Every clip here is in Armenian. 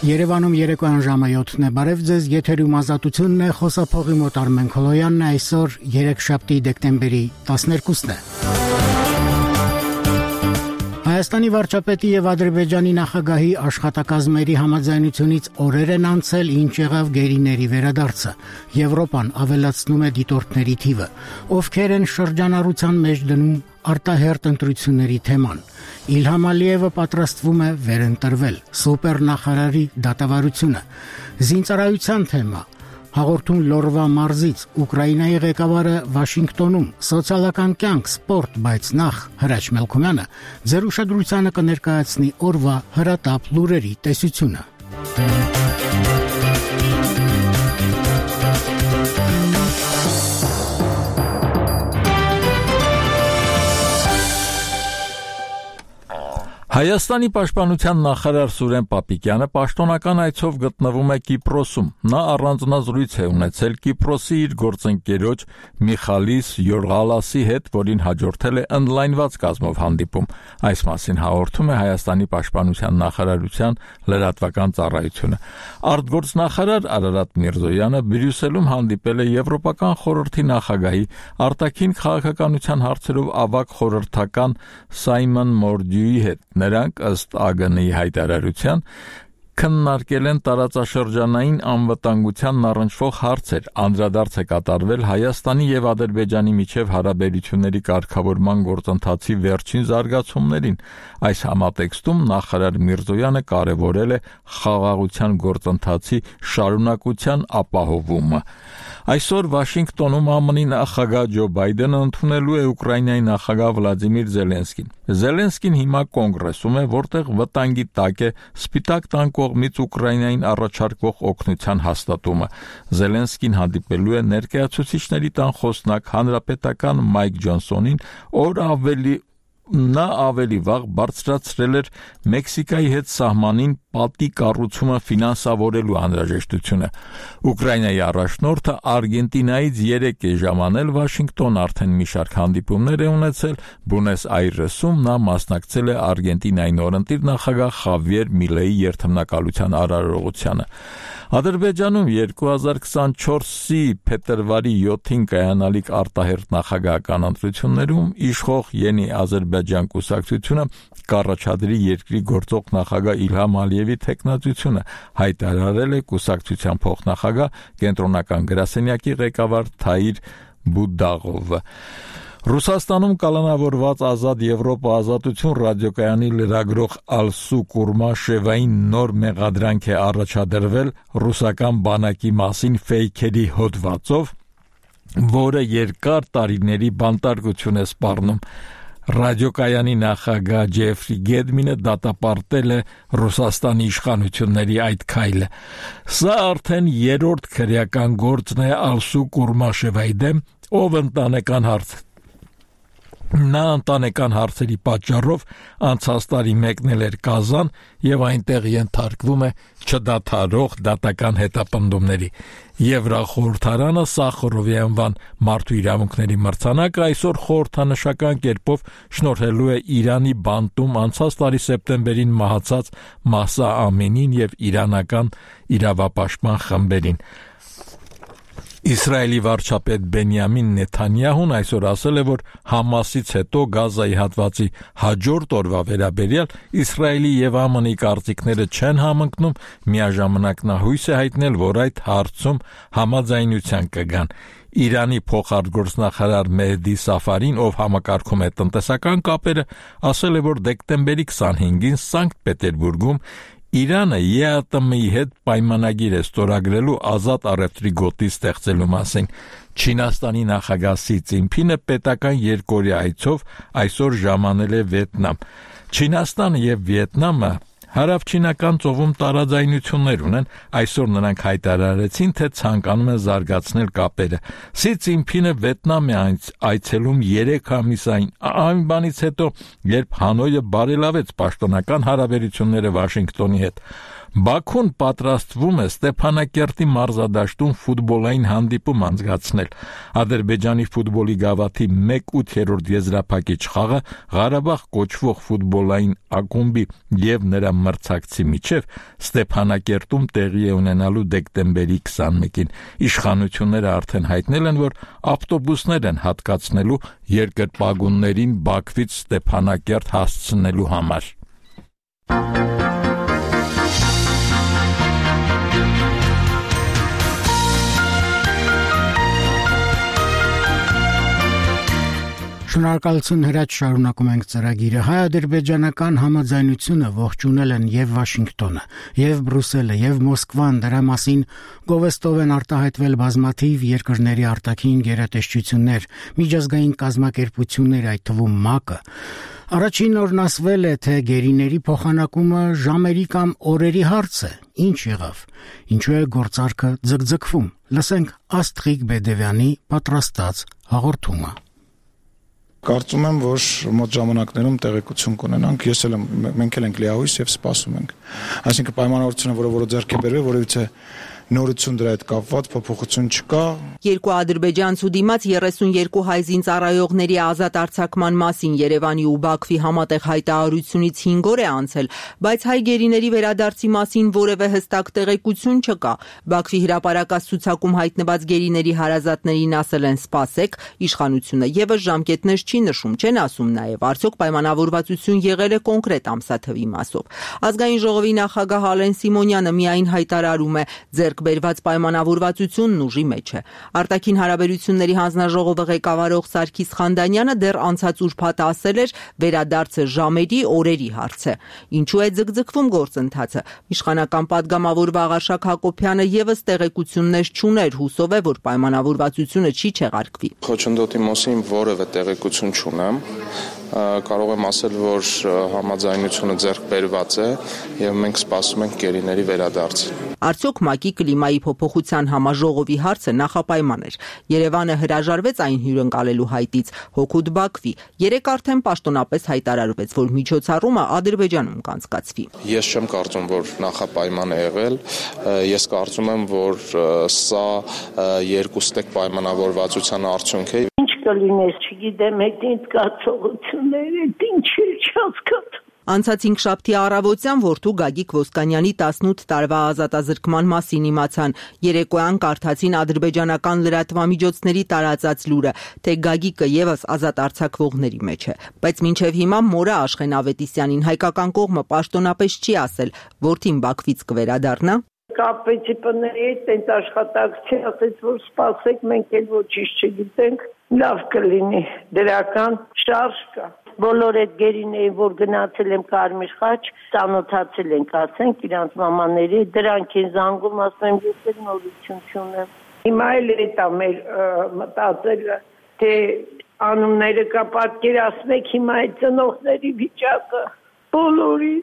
Երևանում երեկոյան ժամը 7-ն է, բարև ձեզ, եթերում ազատությունն է, խոսափողի մոտ Արմեն Քոլոյանն է, այսօր 3-շաբթի դեկտեմբերի 12-ն է։ Հայաստանի վարչապետի եւ Ադրբեջանի նախագահի աշխատակազմերի համաձայնությունից օրեր են անցել, ինչ եղավ գերիների վերադարձը։ Եվրոպան ավելացնում է դիտորդների թիվը, ովքեր են շրջանառության մեջ դնում արտահերտ ընտրությունների թեման։ Իլհամ Ալիևը պատրաստվում է վերընտրվել, սուպերնախարարի դատավարությունը, զինծառայության թեմա, հաղորդում Լորվա մարզից, Ուկրաինայի ղեկավարը Վաշինգտոնում, սոցիալական կյանք, սպորտ, բայց նախ Հրաչ Մելքոմյանը ձեր ուշադրությանը կներկայացնի օրվա հրատապ լուրերի տեսությունը։ Հայաստանի պաշտպանության նախարար Սուրեն Պապիկյանը պաշտոնական այցով գտնվում է Կիպրոսում։ Նա առանձնազրույց է ունեցել Կիպրոսի իր գործընկերոջ Միխալիս Յորղալասի հետ, որին հաջորդել է ընդլայնված կազմով հանդիպում։ Այս մասին հաղորդում է Հայաստանի պաշտպանության նախարարության լրատվական ծառայությունը։ Արտգործնախարար Արարատ Միրզոյանը Բրյուսելում հանդիպել է Եվրոպական խորհրդի նախագահի արտաքին քաղաքականության հարցերով ավագ խորհրդական Սայմոն Մորդյուի հետ։ Նրանք ըստ ԱԳՆ-ի հայտարարության քննարկել են տարածաշրջանային անվտանգությանն առնչվող հարցեր, անդրադարձ է կատարվել Հայաստանի եւ Ադրբեջանի միջև հարաբերությունների կարգավորման գործընթացի վերջին զարգացումներին։ Այս համատեքստում նախարար Միրզոյանը կարևորել է խաղաղության գործընթացի շարունակության ապահովումը։ Այսօր Վաշինգտոնում ԱՄՆ-ի նախագահ Ջո Բայդենը ընդունելու է Ուկրաինայի նախագահ Վլադիմիր Զելենսկին։ Զելենսկին հիմա կոնգրեսում է, որտեղ վտանգի տակ է Սպիտակ տան կողմից Ուկրաինային առաջարկվող օգնության հաստատումը։ Զելենսկին հանդիպելու է ներկայացուցիչների տան խոսնակ հանրապետական Մայք Ջոնսոնին, նա ավելի վաղ բարձրացրել էր Մեքսիկայի հետ սահմանին պատի կառուցումը ֆինանսավորելու անհրաժեշտությունը։ Ուկրաինայի առաջնորդը Արգենտինայից 3 է ժամանել Վաշինգտոն, արդեն մի շարք հանդիպումներ է ունեցել, Բունես Այրեսում նա մասնակցել է Արգենտինայի նորընտիր նախագահ Խավիեր Միլեի երթմնակալության արարողությանը։ Ադրբեջանում 2024-ի փետրվարի 7-ին կայանալիք արտահերտ նախագահական ընտրություններում իշխող Յենի Ադրբեջան կուսակցությունը կառաջադրի երկրի գործող նախագահ Իլհամ Ալիևի թեկնածությունը, հայտարարել է կուսակցության փոխնախագահ կենտրոնական գրասենյակի ղեկավար Թայիր Բուդաղովը։ Ռուսաստանում կալանավորված Ազատ Եվրոպա ազատություն ռադիոկայանի լրագրող Ալսու Կուրմաշևային նոր մեղադրանք է առաջադրվել ռուսական բանակի մասին ֆեյքերի հոդվածով, որը երկար տարիների բանտարկություն է սպառնում։ Ռադիոկայանի նախագահ Ջեֆրի Գեդմինը դատապարտել է Ռուսաստանի իշխանությունների այդ քայլը։ Սա արդեն երրորդ քրեական գործն է Ալսու Կուրմաշևայի դեմ, ով Նա ընտանեկան հարցերի պատճառով անցած տարի մեկնել էր Կազան եւ այնտեղ ենթարկվում է չդադարող դատական հետապնդումների։ Եվրախորհրդարանը Սախարովի անվան մարդու իրավունքների մրցանակը այսօր խորհրդանշական կերպով շնորհելու է Իրանի բանտում անցած տարի սեպտեմբերին մահացած Մահսա Ամինին եւ իրանական իրավապաշտպան խմբերին։ Իսրայելի վարչապետ Բենյամին Նեթանյահուն այսօր ասել է, որ Համասից հետո Գազայի հատվածի հաջորդ օրվա վերաբերյալ Իսրայելի եւ ԱՄՆ-ի կարծիքները չեն համընկնում, միաժամանակ նա հույս է հայտնել, որ այդ հարցում համաձայնության կգան։ Իրանի փոխարտգործնախարար Մեհդի Սաֆարին, ով համակարգում է տնտեսական կապերը, ասել է, որ դեկտեմբերի 25-ին Սանկտ Պետերբուրգում Իրանը ԵԱՏՄ-ի հետ պայմանագիր է ստորագրելու ազատ առևտրի գոտի ստեղծելու մասին։ Չինաստանի նախագահ Սի Ցինփինը պետական երկօրյա այցով այսօր ժամանել է Վիետնամ։ Չինաստանը եւ Վիետնամը հարավչինական ծովում տարաձայնություններ ունեն, այսօր նրանք հայտարարեցին, թե ցանկանում են զարգացնել կապերը։ Սի Ցինփինը Վիետնամ է այցելում 3 ամիս այն բանից հետո, երբ Հանոյը բարելավեց պաշտոնական հարաբերությունները Վաշինգտոնի հետ։ Բաքուն պատրաստվում է Ստեփանակերտի մարզադաշտում ֆուտբոլային հանդիպում անցկացնել։ Ադրբեջանի ֆուտբոլի գավաթի 1/8 եզրափակիչ խաղը Ղարաբաղ կոչվող ֆուտբոլային ակումբի եւ նրա մրցակցի միջև Ստեփանակերտում տեղի է ունենալու դեկտեմբերի 21-ին։ Իշխանությունները արդեն հայտնել են, որ ավտոբուսներ են հատկացնելու երկրպագուններին Բաքվից Ստեփանակերտ հասցնելու համար։ Շնորհակալություն հրաչ շարունակում ենք ծրագիրը։ Հայ-ադրբեջանական համաձայնությունը ողջունել են եւ Վաշինգտոնը, եւ Բրյուսելը, եւ Մոսկվան, դրա մասին գովեստով են արտահայտվել բազմաթիվ երկրների արտաքին գերատեսչություններ, միջազգային կազմակերպություններ, այդ թվում ՄԱԿ-ը։ Առաջին օրն ասվել է, թե գերիների փոխանակումը ժամերի կամ օրերի հարց է։ Ինչ եղավ։ Ինչու է գործարքը ձգձգվում։ Լսենք Աստղիկ Բեդևյանի պատրաստած հաղորդումը։ Կարծում եմ, որ մոտ ժամանակներում տեղեկություն կունենանք, մենք էլ ենք լիահույս եւ սպասում ենք։ Այսինքն պայմանավորությունը, որը ձեռք է բերվել, որովհետեւ նորություն դրա հետ կապված փոփոխություն չկա։ Երկու ադրբեջանցու դիմաց 32 հայ զինծառայողների ազատ արձակման մասին Երևանի ու Բաքվի համատեղ հայտարարությունից 5 օր է անցել, բայց հայ գերիների վերադարձի մասին որևէ հստակ տեղեկություն չկա։ Բաքվի հրապարակած ցուցակում հայտնված գերիների հարազատներին ասել են սպասեք, իշխանությունը եւս ժամկետներ չի նշում, չեն ասում նաեւ արդյոք պայմանավորվածություն եղել է կոնկրետ ամսաթվի մասով։ Ազգային ժողովի նախագահ Ալեն Սիմոնյանը միայն հայտարարում է բերված պայմանավորվածությունն ուժի մեջ է։ Արտաքին հարաբերությունների հանձնաժողովը ղեկավարող Սարգիս Խանդանյանը դեռ անցած ուրբաթ ասել էր, վերադարձը ժամերի, օրերի հարց է։ Ինչու է ձգձգվում գործընթացը։ Իշխանական падգամավոր Վաղարշակ Հակոբյանը եւս տեղեկություններ չուներ, հուսով է, որ պայմանավորվածությունը չի չեղարկվի։ Խոչընդոտի մասին որևէ տեղեկություն չունեմ։ Կարող եմ ասել, որ համաձայնությունը ձեռք բերված է եւ մենք սպասում ենք գերիների վերադարձին։ Արդյոք ՄԱԿ-ի կլիմայի փոփոխության համաժողովի հարցը նախապայման էր։ Երևանը հրաժարվեց այն հյուրընկալելու հայտից, հօգուտ Բաքվի։ Երեկ արդեն պաշտոնապես հայտարարվեց, որ միջոցառումը Ադրբեջանում կանցկացվի։ Ես չեմ կարծում, որ նախապայման է եղել։ Ես կարծում եմ, որ սա երկուստեք պայմանավորվածության արդյունք է։ Կլինես, չգիտեմ, այդ ինձ կացողությունները, ինչ է չհասկացում։ Անցած 5 շաբթի առավոտյան որդու Գագիկ Ոսկանյանի 18 տարվա ազատազրկման մասին իմացան։ Երեկոյան կարդացին ադրբեջանական լրատվամիջոցների տարածած լուրը, թե Գագիկը եւս ազատ արձակվողների մեջ է։ Բայց մինչեւ հիմա մորը Աշխեն Ավետիսյանին հայկական կողմը պաշտոնապես չի ասել, որդին Բաքվից կվերադառնա։ Կապեցի պների հետ այդ աշխատակցի ասեց, որ սպասեք, մենք էլ ոչինչ չգիտենք, լավ կլինի, դրական շարժ կա։ Բոլոր այդ գերիների, որ գնացել եմ Կարմիր խաչ, ծանոթացել ենք, ասենք, իրանց մամաների, դրանք են զանգում, ասում եմ, ես էլ նորություն չունեմ։ Հիմա էլ էտա մեր մտածելը, թե անունները կա պատկերացնեք հիմա այդ ծնողների վիճակը, բոլորի։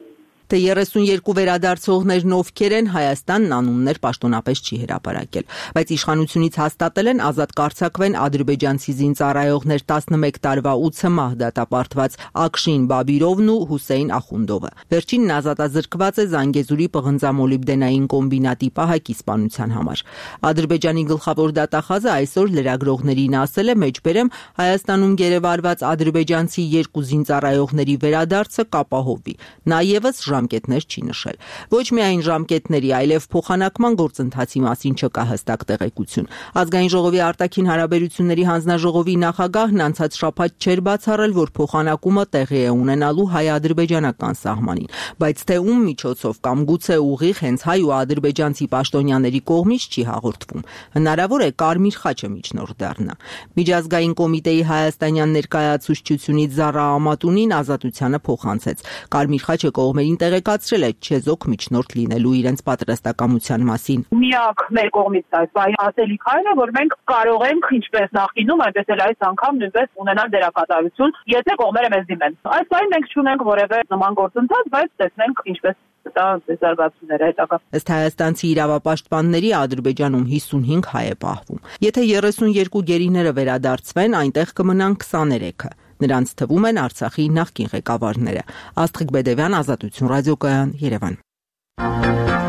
Թե 32 վերադարձողներն ովքեր են, Հայաստանն անուններ պաշտոնապես չի հրապարակել, բայց իշխանությունից հաստատել են ազատ կարձակվեն ադրբեջանցի զինծառայողներ 11 տարվա 8 մահ դատապարտված Ակշին Բաբիրովն ու Հուսեյն Ախունդովը։ Վերջինն ազատազրկված է Զանգեզուրի պղնձամոլիբդենային կոմբինատի պահակի սպանության համար։ Ադրբեջանի գլխավոր դատախազը այսօր լրագրողներին ասել է, մեջբերեմ Հայաստանում գերեվարված ադրբեջանցի 2 զինծառայողների վերադարձը կապահովվի։ Նա եւս ժամկետներ չի նշել։ Ոչ միայն ժամկետների, այլև փոխանակման գործընթացի մասին չկա հստակ տեղեկություն։ Ազգային ժողովի արտաքին հարաբերությունների հանձնաժողովի նախագահն անցած շաբաթ չէր բացառել, որ փոխանակումը տեղի է ունենալու հայ-ադրբեջանական սահմանին, բայց թե ում միջոցով կամ գուցե ուղիղ հենց հայ ու ադրբեջանցի պաշտոնյաների կողմից չի հաղորդվում։ Հնարավոր է Կարմիր խաչը միջնորդ դառնա։ Միջազգային կոմիտեի հայաստանյան ներկայացուցչությունից Զարա Ամատունին ազատությանը փոխանցեց։ Կարմիր խաչը կողմերին տեղեկացրել է չեզոք միջնորդ լինելու իրենց պատրաստակամության մասին։ Միակ մեր կողմից այս ասելիքն է, որ մենք կարող ենք ինչպես նախկինում, այնպես էլ այս անգամ նույնպես ունենալ դերակատարություն, եթե կողմերը մեզ դիմեն։ Այս պահին մենք չունենք որևէ նման գործընթաց, բայց տեսնենք ինչպես դա զարգացումները հետագա։ Ըստ հայաստանցի իրավապաշտպանների Ադրբեջանում 55 հայ է պահվում։ Եթե 32 գերիները վերադարձվեն, այնտեղ կմնան 23-ը։ Նրանց թվում են Արցախի նախկին ղեկավարները։ Աստղիկ Բեդևյան, Ազատություն ռադիոկայան, Երևան։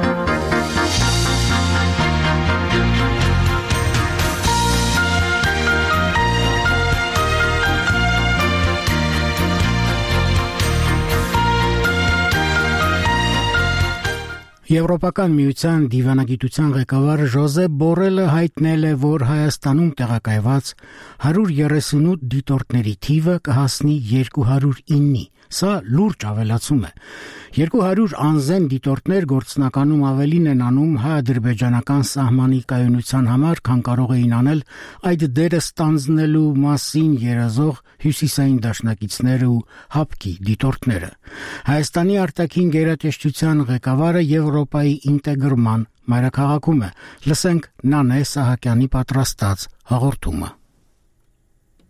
Եվրոպական միության դիվանագիտության ղեկավար Ժոզեփ Բորելը հայտնել է, որ Հայաստանում տեղակայված 138 դիտորդների թիվը կհասնի 209-ի։ Սա լուրջ ավելացում է։ 200 անզեն դիտորդներ գործնականում ավելին են անում հայ-ադրբեջանական սահմանի կայունության համար, քան կարող էին անել այդ դերը ստանձնելու մասին երազող հյուսիսային դաշնակիցները ու հապկի դիտորդները։ Հայաստանի արտաքին գերատեսչության ղեկավարը Եվրոպայի ինտեգրման մայրաքաղաքում է։ Լսենք Նանե Սահակյանի պատրաստած հաղորդումը։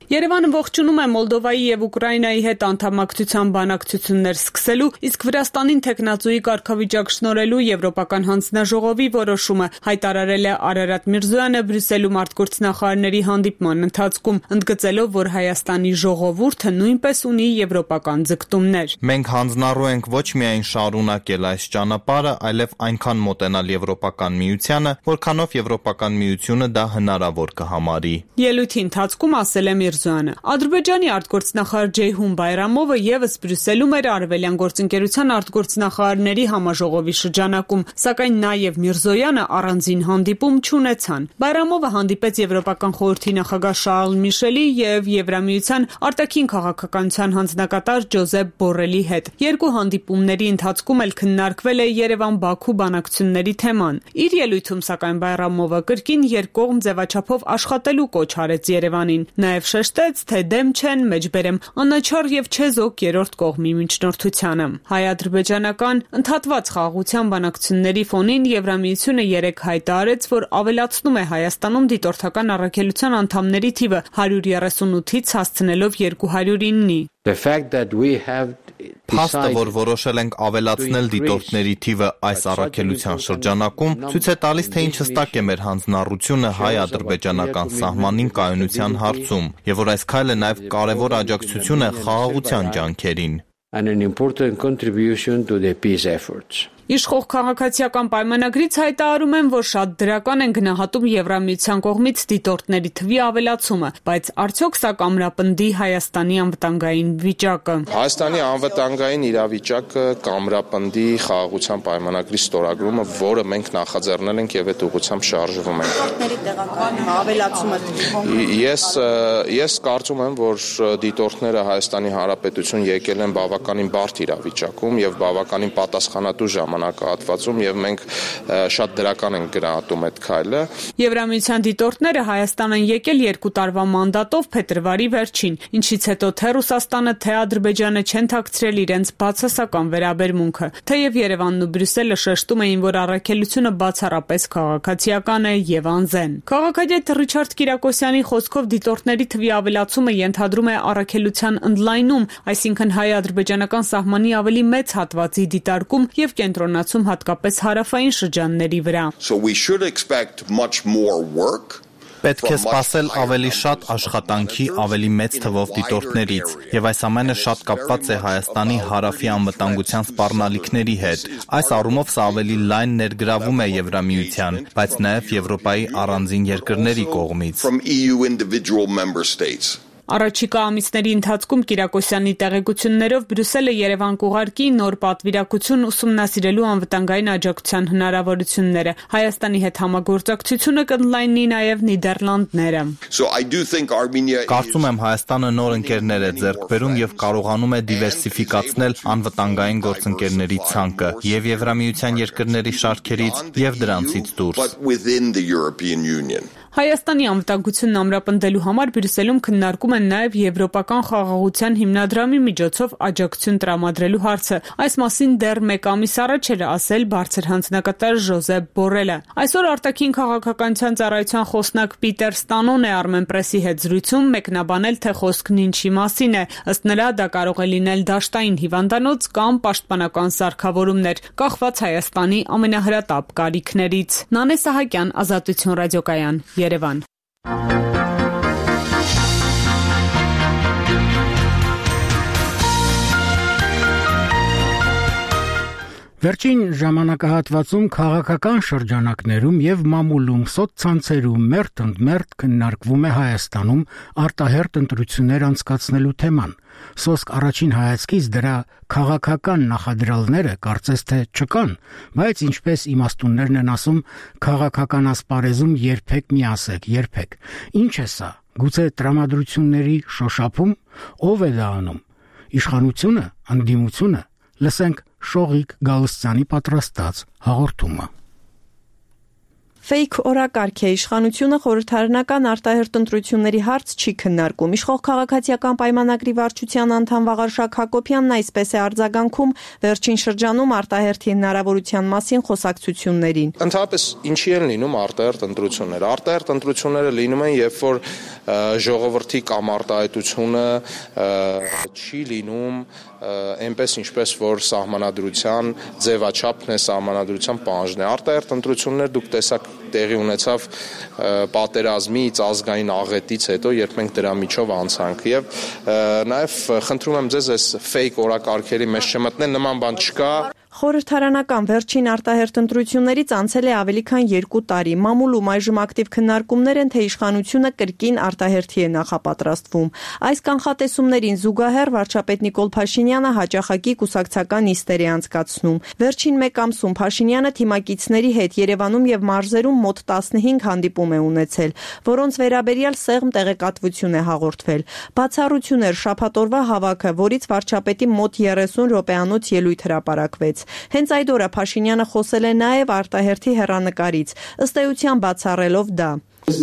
Երևանը ողջունում է Մոլդովայի եւ Ուկրաինայի հետ անդամակցության բանակցություններ սկսելու, իսկ Վրաստանին տեխնացուի կարգավիճակ շնորհելու Եվրոպական հանձնաժողովի որոշումը, հայտարարել է Արարատ Միրզոյանը Բրյուսելում արտգործնախարարների հանդիպման ընթացքում, ընդգծելով, որ Հայաստանի ժողովուրդը նույնպես ունի եվրոպական ձգտումներ։ Մենք հանձնառու ենք ոչ միայն շարունակել այս ճանապարհը, այլև այնքան մոտենալ Եվրոպական միությանը, որքանով Եվրոպական միությունը դա հնարավոր կհամարի։ Ելույթի ընթացքում ասել է Ադրբեջանի արտգործնախարար Ջեյհուն Բայրամովը եւս Բրյուսելում էր Արևելյան գործընկերության արտգործնախարարների համաժողովի շրջանակում, սակայն նաեւ Միրզոյանը առանձին հանդիպում չունեցան։ Բայրամովը հանդիպեց Եվրոպական խորհրդի նախագահ Շարլ Միշելի եւ Եվրամիության արտաքին քաղաքականության հանձնակատար Ջոզեփ Բորելի հետ։ Երկու հանդիպումների ընթացքում էլ քննարկվել է Երևան-Բաքու բանակցությունների թեման։ Իր ելույթում սակայն Բայրամովը կրկին երկկողմ ձևաչափով աշխատելու կոչ արեց Երևանին։ Նաեւ շեշտեց, թե դեմ չեն մեջբերեմ անաչառ եւ չեզոք երրորդ կողմի միջնորդությանը։ Հայ-ադրբեջանական ընդհատված խաղաղության բանակցությունների ֆոնին Եվրամիությունը երեկ հայտարարեց, որ ավելացնում է Հայաստանում դիտորդական առաքելության անդամների թիվը 138-ից հասցնելով 209-ի։ Փաստը, որ որոշել ենք ավելացնել դիտորդների թիվը այս առաքելության շրջանակում, ցույց է տալիս, թե ինչ հստակ է մեր հանձնառությունը հայ-ադրբեջանական սահմանին կայունության հարցում, եւ որ այս քայլը նաեւ կարեւոր աջակցություն է խաղաղության ջանքերին։ Իշխող քաղաքացիական պայմանագրից հայտարարում են, որ շատ դրական են գնահատում Եվրամիության կողմից դիտորդների թվի ավելացումը, բայց արդյոք սա կամրապնդի Հայաստանի անվտանգային վիճակը։ Հայաստանի անվտանգային իրավիճակը կամրապնդի խաղաղության պայմանագրի ստորագրումը, որը մենք նախաձեռնել ենք եւ այդ ուղղությամբ շարժվում ենք։ Դիտորդների տեղական ավելացումը։ Ես կարծում եմ, որ դիտորդները Հայաստանի Հանրապետություն եկել են բավականին բարդ իրավիճակում եւ բավականին պատասխանատու ժամանակահատվածում եւ մենք շատ դրական ենք գնահատում այդ քայլը։ Եվրամիության դիտորդները Հայաստան են եկել 2 տարվա մանդատով փետրվարի վերջին, ինչից հետո թե Ռուսաստանը, թե Ադրբեջանը չեն թաքցրել իրենց բացասական վերաբերմունքը։ Թեև Երևանն ու Բրյուսելը շեշտում էին, որ առաքելությունը բացառապես քաղաքացիական է եւ անզեն։ Քաղաքագետ Ռիչարդ Կիրակոսյանի խոսքով դիտորդների թվի ավելացումը ենթադրում է առաքելության ընդլայնում, այսինքն հայ-ադրբեջանական սահմանի ավելի մեծ հատվածի դիտարկում եւ կենտրոնացում հատկապես հարավային շրջանների վրա։ Պետք է սպասել ավելի շատ աշխատանքի, ավելի մեծ թվով դիտորդներից, եւ այս ամենը շատ կապված է Հայաստանի հարավի անվտանգության սպառնալիքների հետ։ Այս առումով սա ավելի լայն ներգրավում է Եվրամիության, բայց նաեւ Եվրոպայի առանձին երկրների կողմից։ Առաջիկա ամիսների ընթացքում Կիրակոսյանի տեղեկություններով Բրյուսելը Երևան կուղարկի նոր պատվիրակություն ուսումնասիրելու անվտանգային աջակցության հնարավորությունները։ Հայաստանի հետ համագործակցությունը կընդլայնի նաև Նիդերլանդները։ Կարծում եմ Հայաստանը նոր ընկերներ է ձեռք բերում եւ կարողանում է դիվերսիֆիկացնել անվտանգային գործընկերների ցանկը եւ Եվրամիության երկրների շարքերից եւ դրանցից դուրս։ Հայաստանի անվտանգությունն ամրապնդելու համար Բրյուսելում քննարկում են նաև Եվրոպական խաղաղության հիմնադրամի միջոցով աջակցություն տրամադրելու հարցը։ Այս մասին դեռ 1 ամիս առաջ էր ասել բարձր հանձնակատար Ժոզեփ Բորելը։ Այսօր արտաքին քաղաքականության ծառայության խոսնակ Պիտեր Ստանոն է Armenpress-ի հետ զրույցում մեկնաբանել, թե խոսքն ինչի մասին է։ Ըստ նրա, դա կարող է լինել դաշտային հիվանդանոց կամ պաշտպանական սարքավորումներ, կախված Հայաստանի ամենահրատապ կարիքներից։ Նանե Սահակյան, Ազատություն ռադիոկայան, Երևան։ Վերջին ժամանակահատվածում քաղաքական շրջանակներում եւ մամուլում սոցցանցերում մերթ քննարկվում է Հայաստանում արտահերթ ընտրություններ անցկացնելու թեման։ Սոսկ առաջին հայացքից դրա քաղաքական նախադրյալները կարծես թե չկան, բայց ինչպես իմաստուններն են ասում, քաղաքական ասպարեզում երբեք մի ասեք, երբեք։ Ինչ է սա։ Գուցե տրամադրությունների շոշափում, ով է դա անում։ Իշխանությունը, անդիմությունը։ Լսենք Շողիկ Գալստյանի պատրաստած հաղորդումը։ Ֆեյք օրակարգ է, իշխանությունը խորհրդարանական արտահերթ ընտրությունների հարց չի քննարկում։ Իշխող քաղաքացիական պայմանագրի վարչության անդամ Վաղարշակ Հակոբյանն այսպես է արձագանքում վերջին շրջանում արտահերթի հնարավորության մասին խոսակցություններին։ Ընդհանրապես ինչի են լինում արտահերթ ընտրությունները։ Արտահերթ ընտրությունները լինում են, երբ որ ժողովրդի կամ արտահայտությունը չի լինում այնպես ինչպես որ սահմանադրության ձևաչափն է, սահմանադրության պահանջն է։ Արտահերթ ընտրություններ դուք տեսակ տեղի ունեցավ պատերազմից, ազգային աղետից հետո, երբ մենք դրա միջով անցանք եւ նաեւ խնդրում եմ ձեզ այս ֆեյք օրակարգերի մեջ չմտնել, նման բան չկա։ Խորհրդարանական վերջին արտահերթ ընտրություններից անցել է ավելի քան 2 տարի։ Մամուլում այժմ ակտիվ քննարկումներ են, թե իշխանությունը կրկին արտահերթի է նախապատրաստվում։ Այս կանխատեսումներին զուգահեռ վարչապետ Նիկոլ Փաշինյանը հաճախակի կուսակցական նիստեր է անցկացնում։ Վերջին 1 ամսում Փաշինյանը թիմակիցների հետ Երևանում եւ մարզերում մոտ 15 հանդիպում է ունեցել, որոնց վերաբերյալ սեղմ տեղեկատվություն է հաղորդվել։ Բացառություն էր շաբաթօրվա հավաքը, որից վարչապետի մոտ 30 րոպեանոց ելույթ հրապարակվեց։ Հենց այդ օրը Փաշինյանը խոսել է նաև արտահերթի հեռանկարից, ըստ էության բացառելով դա։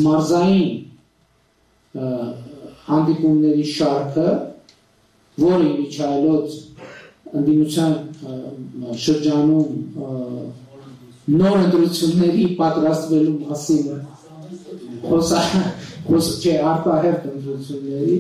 Մարզային հանդիպումների շարքը, որը միջայլոց ընդդիմության շրջանում նոր ընտրությունների պատրաստվելու մասին խոսք չէ արտահերթ ընտրությունների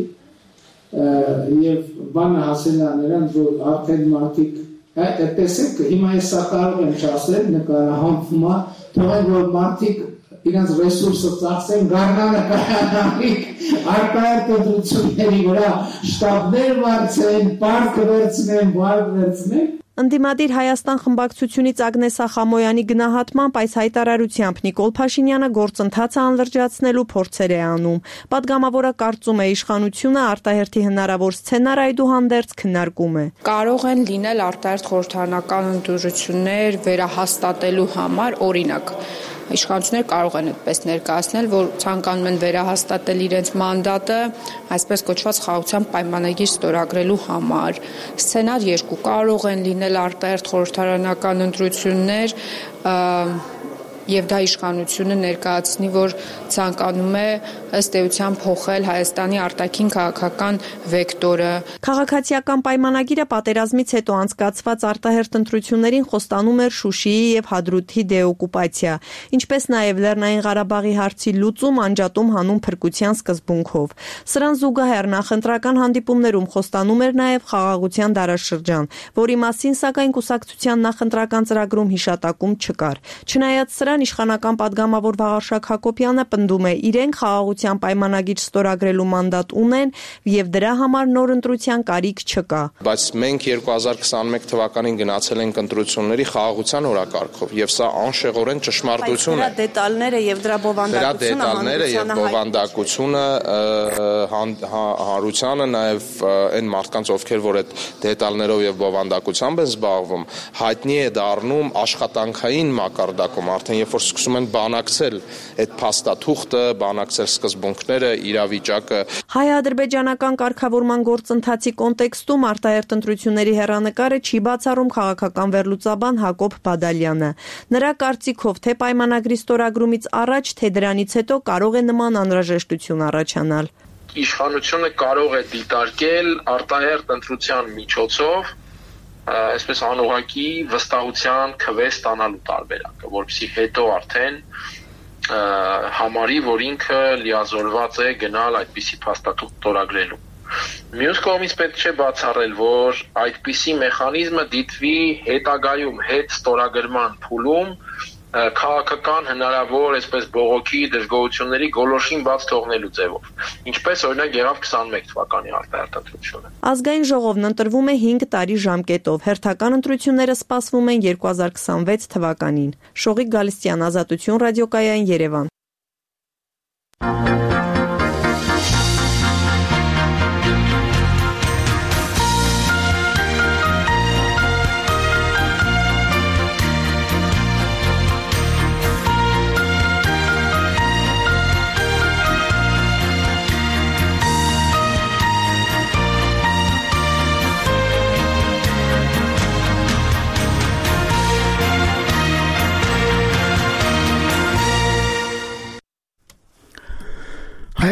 եւ բանը հասել է նրան, որ արդեն մարդիկ տեսեք, հիմա ես սա կարող եմ չասել, նկարահանվում է, թողեք, որ մարդիկ իրենց ռեսուրսը ծախսեն, գարնանը կայանալիք արտահերթ ընտրությունների վրա շտաբներ վարձեն, պարտք վերցնեն, վարկ վերցնեն։ Ընդդիմադիր Հայաստան խմբակցությունից Ագնես Ախամոյանի գնահատմամբ այս հայտարարությամբ Նիկոլ Փաշինյանը գործընթացը անլրջացնելու փորձեր է անում։ Պատգամավորը կարծում է, իշխանությունը արտահերթի հնարավոր սցենար այդուհանդերձ քննարկում է։ Կարող են լինել արտահերթ խորհրդարանական ընտրություններ վերահաստատելու համար, օրինակ իշխանությունները կարող են այդպես ներկայացնել, որ ցանկանում են վերահաստատել իրենց մանդատը, այսպես կոչված խաղաղության պայմանագիր ստորագրելու համար։ Սցենար 2 կարող են լինել արտահերթ խորհրդարանական ընտրություններ, եւ դա իշխանությունը ներկայացնի, որ ցանկանում է ըստ էության փոխել Հայաստանի արտաքին քաղաքական վեկտորը։ Քաղաքացիական պայմանագիրը պատերազմից հետո անցկացված արտահերթ ընտրություններին խոստանում էր Շուշիի եւ Հադրութի դեօկուպացիա, ինչպես նաեւ Լեռնային Ղարաբաղի հարցի լուծում անջատում հանուն փրկության սկզբունքով։ Սրան զուգահեռ նախընտրական հանդիպումներում խոստանում էր նաեւ խաղաղության դարաշրջան, որի մասին սակայն կուսակցության նախընտրական ծրագրում հիշատակում չկար։ Չնայած սրան իշխանական պատգամավոր Վաղարշակ Հակոբյանը պնդում է, իրենք խաղաղության պայմանագիր ստորագրելու մանդատ ունեն եւ դրա համար նոր ընտրության կարիք չկա։ Բայց մենք 2021 թվականին գնացել ենք ընտրությունների խաղաղության օրակարգով եւ սա անշեղորեն ճշմարտություն է։ Դրա դետալները եւ դրա բովանդակությունը հարությանը նաեւ այն մարդկանց, ովքեր որ այդ դետալներով եւ բովանդակությամբ են զբաղվում, հայտնի է դառնում աշխատանքային մակարդակում, արդեն երբ որ սկսում են բանակցել այդ փաստաթուղթը, բանակցել սկզբունքները, իրավիճակը։ Հայ-ադրբեջանական կարգավորման գործընթացի կոնտեքստում արտահերթ ընտրությունների հեռանկարը չի բացառում քաղաքական վերլուծաբան Հակոբ Բադալյանը։ Նրա կարծիքով, թե պայմանագրի ստորագրումից առաջ, թե դրանից հետո կարող է նման անհրաժեշտություն առաջանալ։ Իշխանությունը կարող է դիտարկել արտահերթ ընտրության միջոցով այսպես անուղղակի վստահության քվե ստանալու տարբերակը, որովհետեւ հետո արդեն համարի, որ ինքը լիազորված է գնալ այդպիսի փաստաթուղթ ստորագրելու։ Մյուս կողմից պետք չէ բացառել, որ այդպիսի մեխանիզմը դիտվի հետագայում հետ ստորագրման փուլում քաղաքական հնարավոր այսպես բողոքի դժգոհությունների գոլորշին բաց թողնելու ձևով։ Ինչպես օրինակ եղավ 21 թվականի արտահերթ ընտրությունը։ Ազգային ժողովն ընտրվում է 5 տարի ժամկետով։ Հերթական ընտրությունները սպասվում են 2026 թվականին։ Շողիկ Գալստյան, Ազատություն ռադիոկայան, Երևան։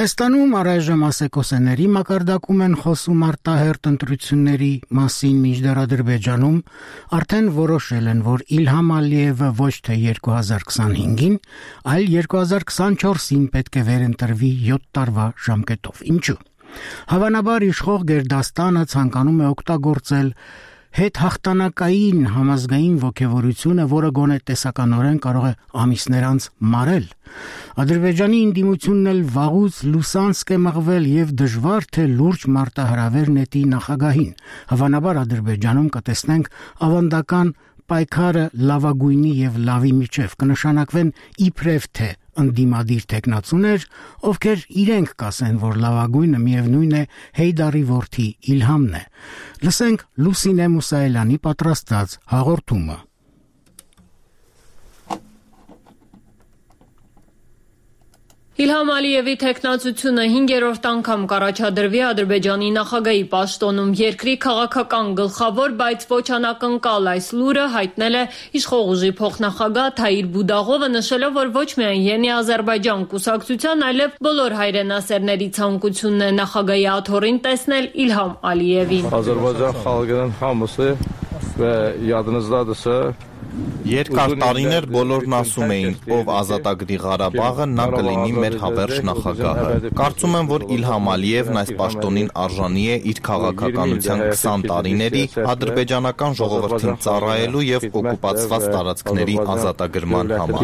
Հայաստանում առայժմ ասեկոսեների մակարդակում են խոսում արտահերթ ընտրությունների մասին, մինչդեռ Ադրբեջանում արդեն որոշել են, որ Իլհամ Ալիևը ոչ թե 2025-ին, այլ 2024-ին պետք է վերընտրվի 7 տարվա ժամկետով։ Ինչու՞։ Հավանաբար իշխող Գերդաստանը ցանկանում է օգտագործել հետհաղթանակային համազգային ոգևորությունը, որը գոնե տեսականորեն կարող է ամիսներ անց մարել։ Ադրբեջանի ընդդիմությունն էլ վաղուց լուսանցք է մղվել եւ դժվար թե լուրջ մարտահրավեր նետի նախագահին։ Հավանաբար Ադրբեջանում կտեսնենք ավանդական պայքարը լավագույնի եւ լավի միջև, կնշանակվեն իբրև թե ընդդիմադիր տեխնացուներ, ովքեր իրենք կասեն, որ լավագույնը միևնույն է Հեյդարի որդի Իլհամն է։ Լսենք Լուսինե Մուսայելյանի պատրաստած հաղորդումը։ Իլհամ Ալիևի տեխնացությունը 5-րդ անգամ կառաջադրվի Ադրբեջանի նախագահի պաշտոնում։ Երկրի քաղաքական գլխավոր, բայց ոչ անակնկալ այս լուրը հայտնել է իշխող ուժի փոխնախագահ Թայիր Բուդաղովը, նշելով, որ ոչ միայն Յենի Ադրբեջան կուսակցության, այլև բոլոր հայրենասերների ցանկությունն է նախագահի աթոռին տեսնել Իլհամ Ալիևին։ Ադրբեջան խաղաղության համոզը və yadınızdadırsa Երկար տարիներ բոլորն ասում էին, ով ազատագրի Ղարաբաղը, նա կլինի մեր հավերժ նախագահը։ Կարծում եմ, որ Իլհամ Ալիևն այս պաշտոնին արժանի է իր քաղաքականության 20 տարիների ադրբեջանական ժողովրդին ծառայելու եւ օկուպացված տարածքների ազատագրման համար։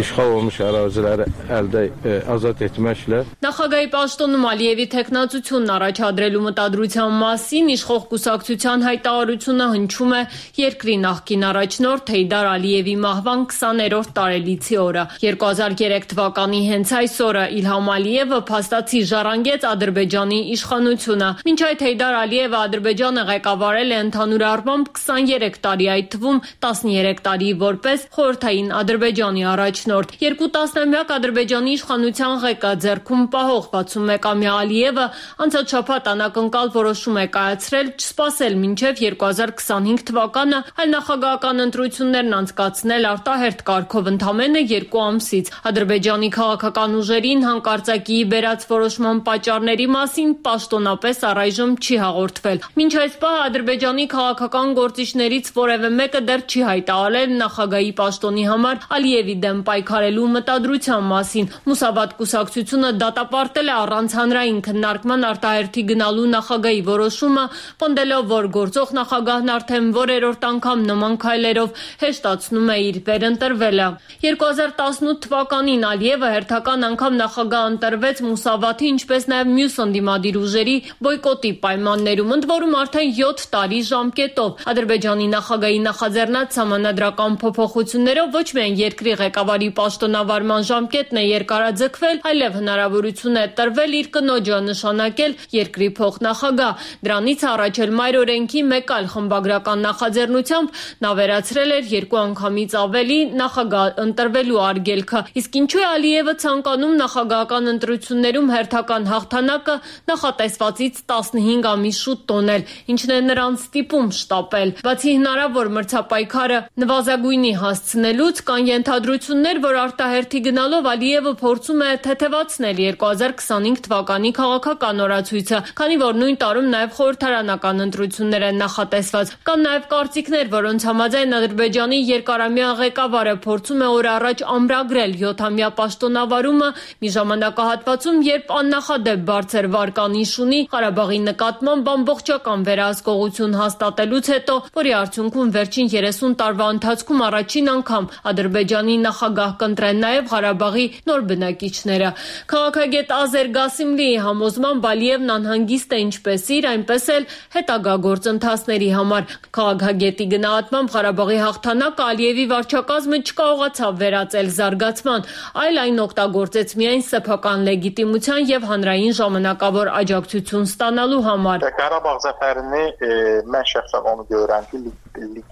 Նախագահի պաշտոնում Ալիևի տեխնացությունն առաջադրելու մտադրության մասին իշխող կուսակցության հայտարարությունը հնչում է երկրի նախկին առաջնորդ Հեյդար Ալիևի մահվան 20-րդ տարելիցի օրը։ 2003 թվականի հենց այս օրը Իլհամ Ալիևը փաստացի ժառանգեց Ադրբեջանի իշխանությունը։ Մինչ այդ Հեյդար Ալիևը Ադրբեջանը ղեկավարել է ընդհանուր առմամբ 23 տարի, այդ թվում 13 տարի որպես խորհրդային Ադրբեջանի առաջնորդ։ 2 տասնամյակ Ադրբեջանի իշխանության ղեկը ձեռքում պահող 61-ամյա Ալիևը անցած շաբաթ անակնկալ որոշում է կայացրել չսպասել մինչև 2025 թվականը, այլ նախագահական ընտրություններն անցկացնել արտահերթ կարգով ընդամենը 2 ամսից։ Ադրբեջանի քաղաքական ուժերին հանկարծակիի բերած որոշման պատճառների մասին պաշտոնապես առայժմ չի հաղորդվել։ Մինչ այս պահը Ադրբեջանի քաղաքական գործիչներից որևէ մեկը դեռ չի հայտարարել նախագահի պաշտոնի համար Ալիևի դեմ պայքարելու մտադրության մասին։ Մուսավատ կուսակցությունը դատապարտել է առանց հանրային քննարկման արտահերթի գնալու նախագահի որոշումը, պնդելով, որ գործող նախագահն արդեն որերորդ անգամ նման քայլերով հեշտացնում է իր վերընտրվելը։ 2018 թվականին Ալիևը հերթական անգամ նախագահ ընտրվեց Մուսավաթի, ինչպես նաև մյուս ընդդիմադիր ուժերի բոյկոտի պայմաններում, ընդ որում արդեն 7 տարի ժամկետով։ Ադրբեջանի նախագահի նախաձեռնած սահմանադրական փոփոխություններով ոչ միայն երկրի ղեկավարի պաշտոնավարման ժամկետն է երկարաձգվել, այլև հնարավորություն է տրվել իր կնոջը նշանակել երկրի փոխնախագահ։ Դրանից առաջ էլ մայր օրենքի մեկ այլ խմբագրական նախաձեռնությամբ նա վերացրել էր 2 անգամից ավելի նախագահ ընտրվելու արգելքը։ Իսկ ինչու է Ալիևը ցանկանում նախագահական ընտրություններում հերթական հաղթանակը նախատեսվածից 15 ամիս շուտ տոնել, ինչն է նրան ստիպում շտապել։ Բացի հնարավոր մրցապայքարը նվազագույնի հասցնելուց, կան ենթադրություններ, որ արտահերթի գնալով Ալիևը փորձում է թեթևացնել 2025 թվականի քաղաքական օրացույցը, քանի որ նույն տարում նաև խորհրդարանական ընտրություններ են նախատեսված։ Կան նաև կարծիքներ, որոնց համաձայն Ադրբեջանի Կարամյան ղեկավարը փորձում է օր առաջ ամրագրել 7-ամյա պաշտոնավարումը մի ժամանակահատվածում, երբ աննախադեպ բարձր վարկանիշ ունի Ղարաբաղի նկատմամբ ամբողջական վերահսկողություն հաստատելուց հետո, որի արդյունքում վերջին 30 տարվա ընթացքում առաջին անգամ Ադրբեջանի նախագահ կընտրեն նաև Ղարաբաղի նոր բնակիչները։ Քաղաքագետ Ազեր Գասիմլիի համոզմամբ Ալիևն անհանգիստ է ինչպես իր, այնպես էլ հետագա գործընթացների համար։ Քաղաքագետի գնահատմամբ Ղարաբաղի հաղթանակը Ալիևի վարչակազմը չկարողացավ վերածել զարգացման, այլ այն օգտագործեց միայն սեփական լեգիտիմության եւ հանրային ժամանակավոր աջակցություն ստանալու համար։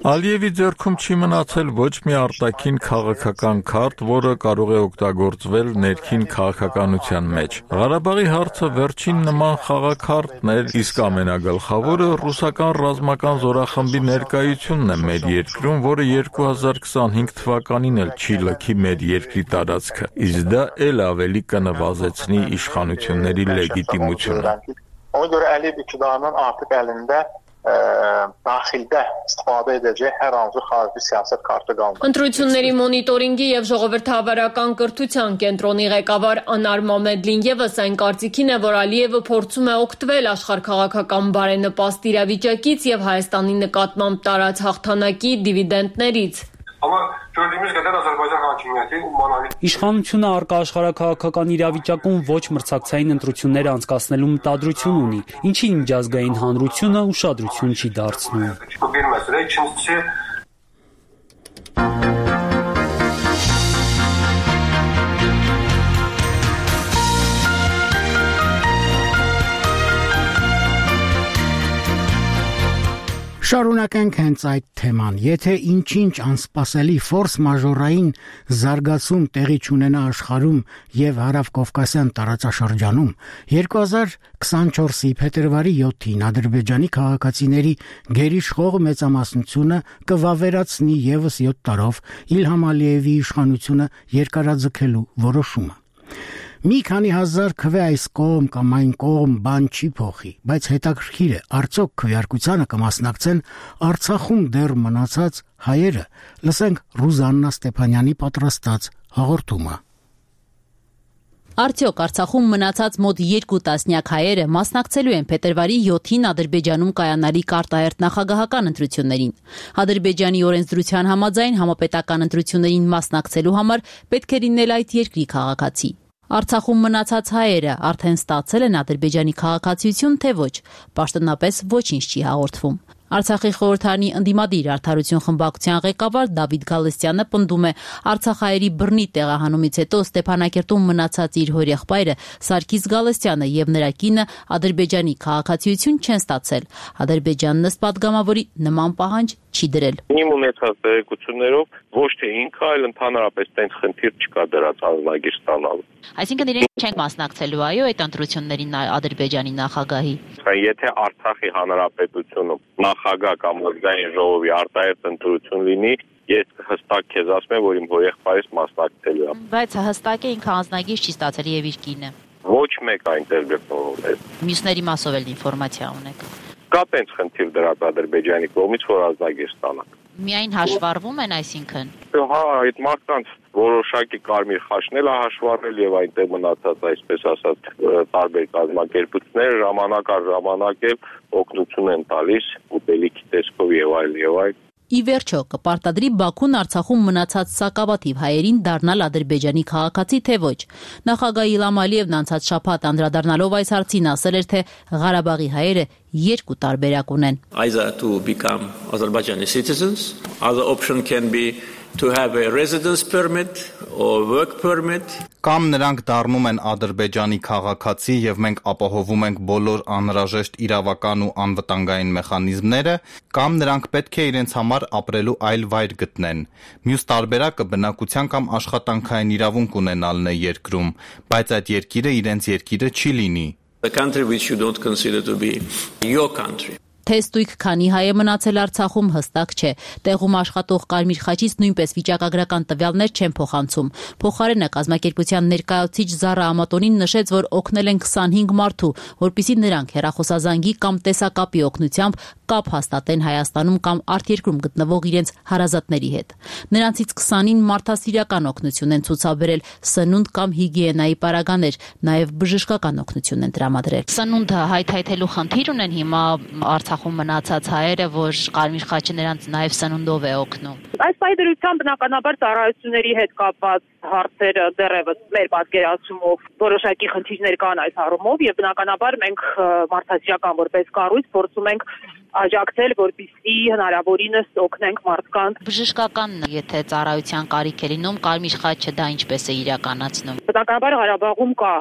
Ալիևի ձեռքում չի մնացել ոչ մի արտաքին քաղաքական քարտ, որը կարող է օգտագործվել ներքին քաղաքականության մեջ։ Ղարաբաղի հարցը վերջին նման խաղաքարտն էր, իսկ ամենագլխավորը ռուսական ռազմական զորախմբի ներկայությունն է մեր երկրում, որը 2025 թվականին էլ չի լքի մեր երկրի տարածքը, իսկ դա էլ ավելի կնվազեցնի իշխանությունների լեգիտիմությունը։ daxildə istifadə edəcək hər hansı xarici siyasət kartı qalmır։ Ընտրությունների մոնիտորինգի եւ ժողովրդավարական կրթության կենտրոնի ղեկավար Անար Մամեդլին եւս այն կարծիքին է, որ Ալիևը փորձում է օգտվել աշխարհքաղաքական բարենպաստ իրավիճակից եւ Հայաստանի նկատմամբ տարած հաղթանակի դիվիդենդներից։ Իշխանությունը առկա աշխարհաքաղաքական իրավիճակում ոչ մրցակցային ընտրություններ անցկացնելու մտադրություն ունի, ինչին միջազգային հանրությունը ուշադրություն չի դարձնում։ Շարունակենք հենց այդ թեման։ Եթե ինչ-ինչ անսպասելի ֆորս մաժորային զարգացում տեղի չունենա աշխարհում եւ հարավկովկասյան տարածաշրջանում, 2024-ի փետրվարի 7-ին Ադրբեջանի քաղաքացիների գերիշխող մեծամասնությունը կվավերացնի եւս 7 տարով Իլհամ Ալիևի իշխանությունը երկարաձգելու որոշումը։ Մի քանի հազար քվե այս կողմ կամ այն կողմ բան չի փոխի, բայց հետաքրքիր է, արդյոք քվեարկությանը կմասնակցեն Արցախում դեռ մնացած հայերը։ Լսենք Ռուզաննա Ստեփանյանի պատրաստած հաղորդումը։ Արդյոք Արցախում մնացած մոտ 2 տասնյակ հայերը մասնակցելու են փետրվարի 7-ին Ադրբեջանում կայանալիք արտահերթ նախագահական ընտրություններին։ Ադրբեջանի օրենսդրության համաձայն համապետական ընտրություններին մասնակցելու համար պետք է լինել այդ երկրի քաղաքացի։ Արցախում մնացած հայերը արդեն ստացել են Ադրբեջանի քաղաքացիություն, թե ոչ, պաշտոնապես ոչինչ չի հաղորդվում։ Արցախի խորհրդարանի ընդդիմադիր արդարություն խմբակցության ղեկավար Դավիթ Գալստյանը պնդում է, Արցախայերի բռնի տեղահանումից հետո Ստեփանակերտում մնացած իր հորեղբայրը Սարգիս Գալստյանը եւ նրա կինը Ադրբեջանի քաղաքացիություն չեն ստացել։ Ադրբեջանն ըստ պատգամավորի նման պահանջ չի դրել։ Իմ ունեցած տեղեկություններով ոչ թե ինքը, այլ ընդհանրապես տենց խնդիր չկա դրած ազնագիր ստանալու։ Այսինքն իրենք չեն մասնակցելու այո այդ ընտրություններին Ադրբեջանի նախագահի։ Եթե Արցախի հանրապետությունում նախագահ կամ ազգային ժողովի արտահերթ ընտրություն լինի, ես հստակ քեզ ասում եմ, որ իմ հորեղբայրս մասնակցելու է։ Բայց հստակ է ինքը ազնագիր չի ստացել եւ իր կինը։ Ոչ մեկ այնտեղ գտնվում է։ Մյուսների մասով էլ ինֆորմացիա ունեք։ Կա տենց խնդիր դրած Ադրբեջանի կողմից, որ ազնագիր ստանանք։ Միայն հաշվառվում են, այսինքն։ Հա, այդ մարդկանց որոշակի կարմիր խաչնել է հաշվառել եւ այնտեղ մնացած, այսպես ասած, տարբեր կազմակերպություններ ժամանակ առ ժամանակ օգնություն են տալիս ուտելիքի տեսքով եւ այլ։ Ի վերջո, կպարտադրի Բաքուն Արցախում մնացած սակավաթիվ հայերին դառնալ Ադրբեջանի քաղաքացի, թե ոչ։ Նախագահ Իլհամ Ալիևն անցած շաբաթ անդրադառնալով այս հարցին ասել էր, թե Ղարաբաղի հայերը 2 տարբերակ ունեն։ Either to become Azerbaijani citizens, other option can be to have a residence permit or work permit. Կամ նրանք դառնում են Ադրբեջանի քաղաքացի եւ մենք ապահովում ենք բոլոր անհրաժեշտ իրավական ու անվտանգային մեխանիզմները, կամ նրանք պետք է իրենց համար ապրելու այլ վայր գտնեն։ Մյուս տարբերակը բնակության կամ աշխատանքային իրավունք ունենալն է երկրում, բայց այդ երկիրը իրենց երկիրը չի լինի։ The country which you don't consider to be your country. Թե ստույգ քանի հայ է մնացել Արցախում հստակ չէ։ Տեղում աշխատող Կարմիր խաչից նույնպես վիճակագրական տվյալներ չեն փոխանցում։ Փոխարենը կազմակերպության ներկայացուցիչ Զարա Ամատոնին նշեց, որ օգնել են 25 մարդու, որպիսի նրանք հեռախոսազանգի կամ տեսակապի օգնությամբ կապ հաստատեն Հայաստանում կամ արտերկրում գտնվող իրենց հարազատների հետ։ Նրանցից 20-ին մարդասիրական օգնություն են ցուցաբերել, սնունդ կամ հիգիենայի պարագաներ, նաև բժշկական օգնություն են տրամադրել։ Սնունդը հայթայթելու խնդիր ունեն հիմա Արցախում մնացած հայերը, որ Կարմիր խաչը նրանց նաև սնունդով է օգնում։ Այս պայմանությամբ բնականաբար ծառայությունների հետ կապված հարցերը դեռևս մեր պատկերացումով որոշակի խնդիրներ կան այս առումով եւ բնականաբար մենք մարդասիրական որպես կառույց փորձում ենք աջակցել, որպեսզի հնարավորինս օգնենք մարդկանց։ Բժշկական, եթե ծառայության կարիք է լինում, Կարմիր խաչը դա ինչպես է իրականացնում։ Բնականաբար Ղարաբաղում կա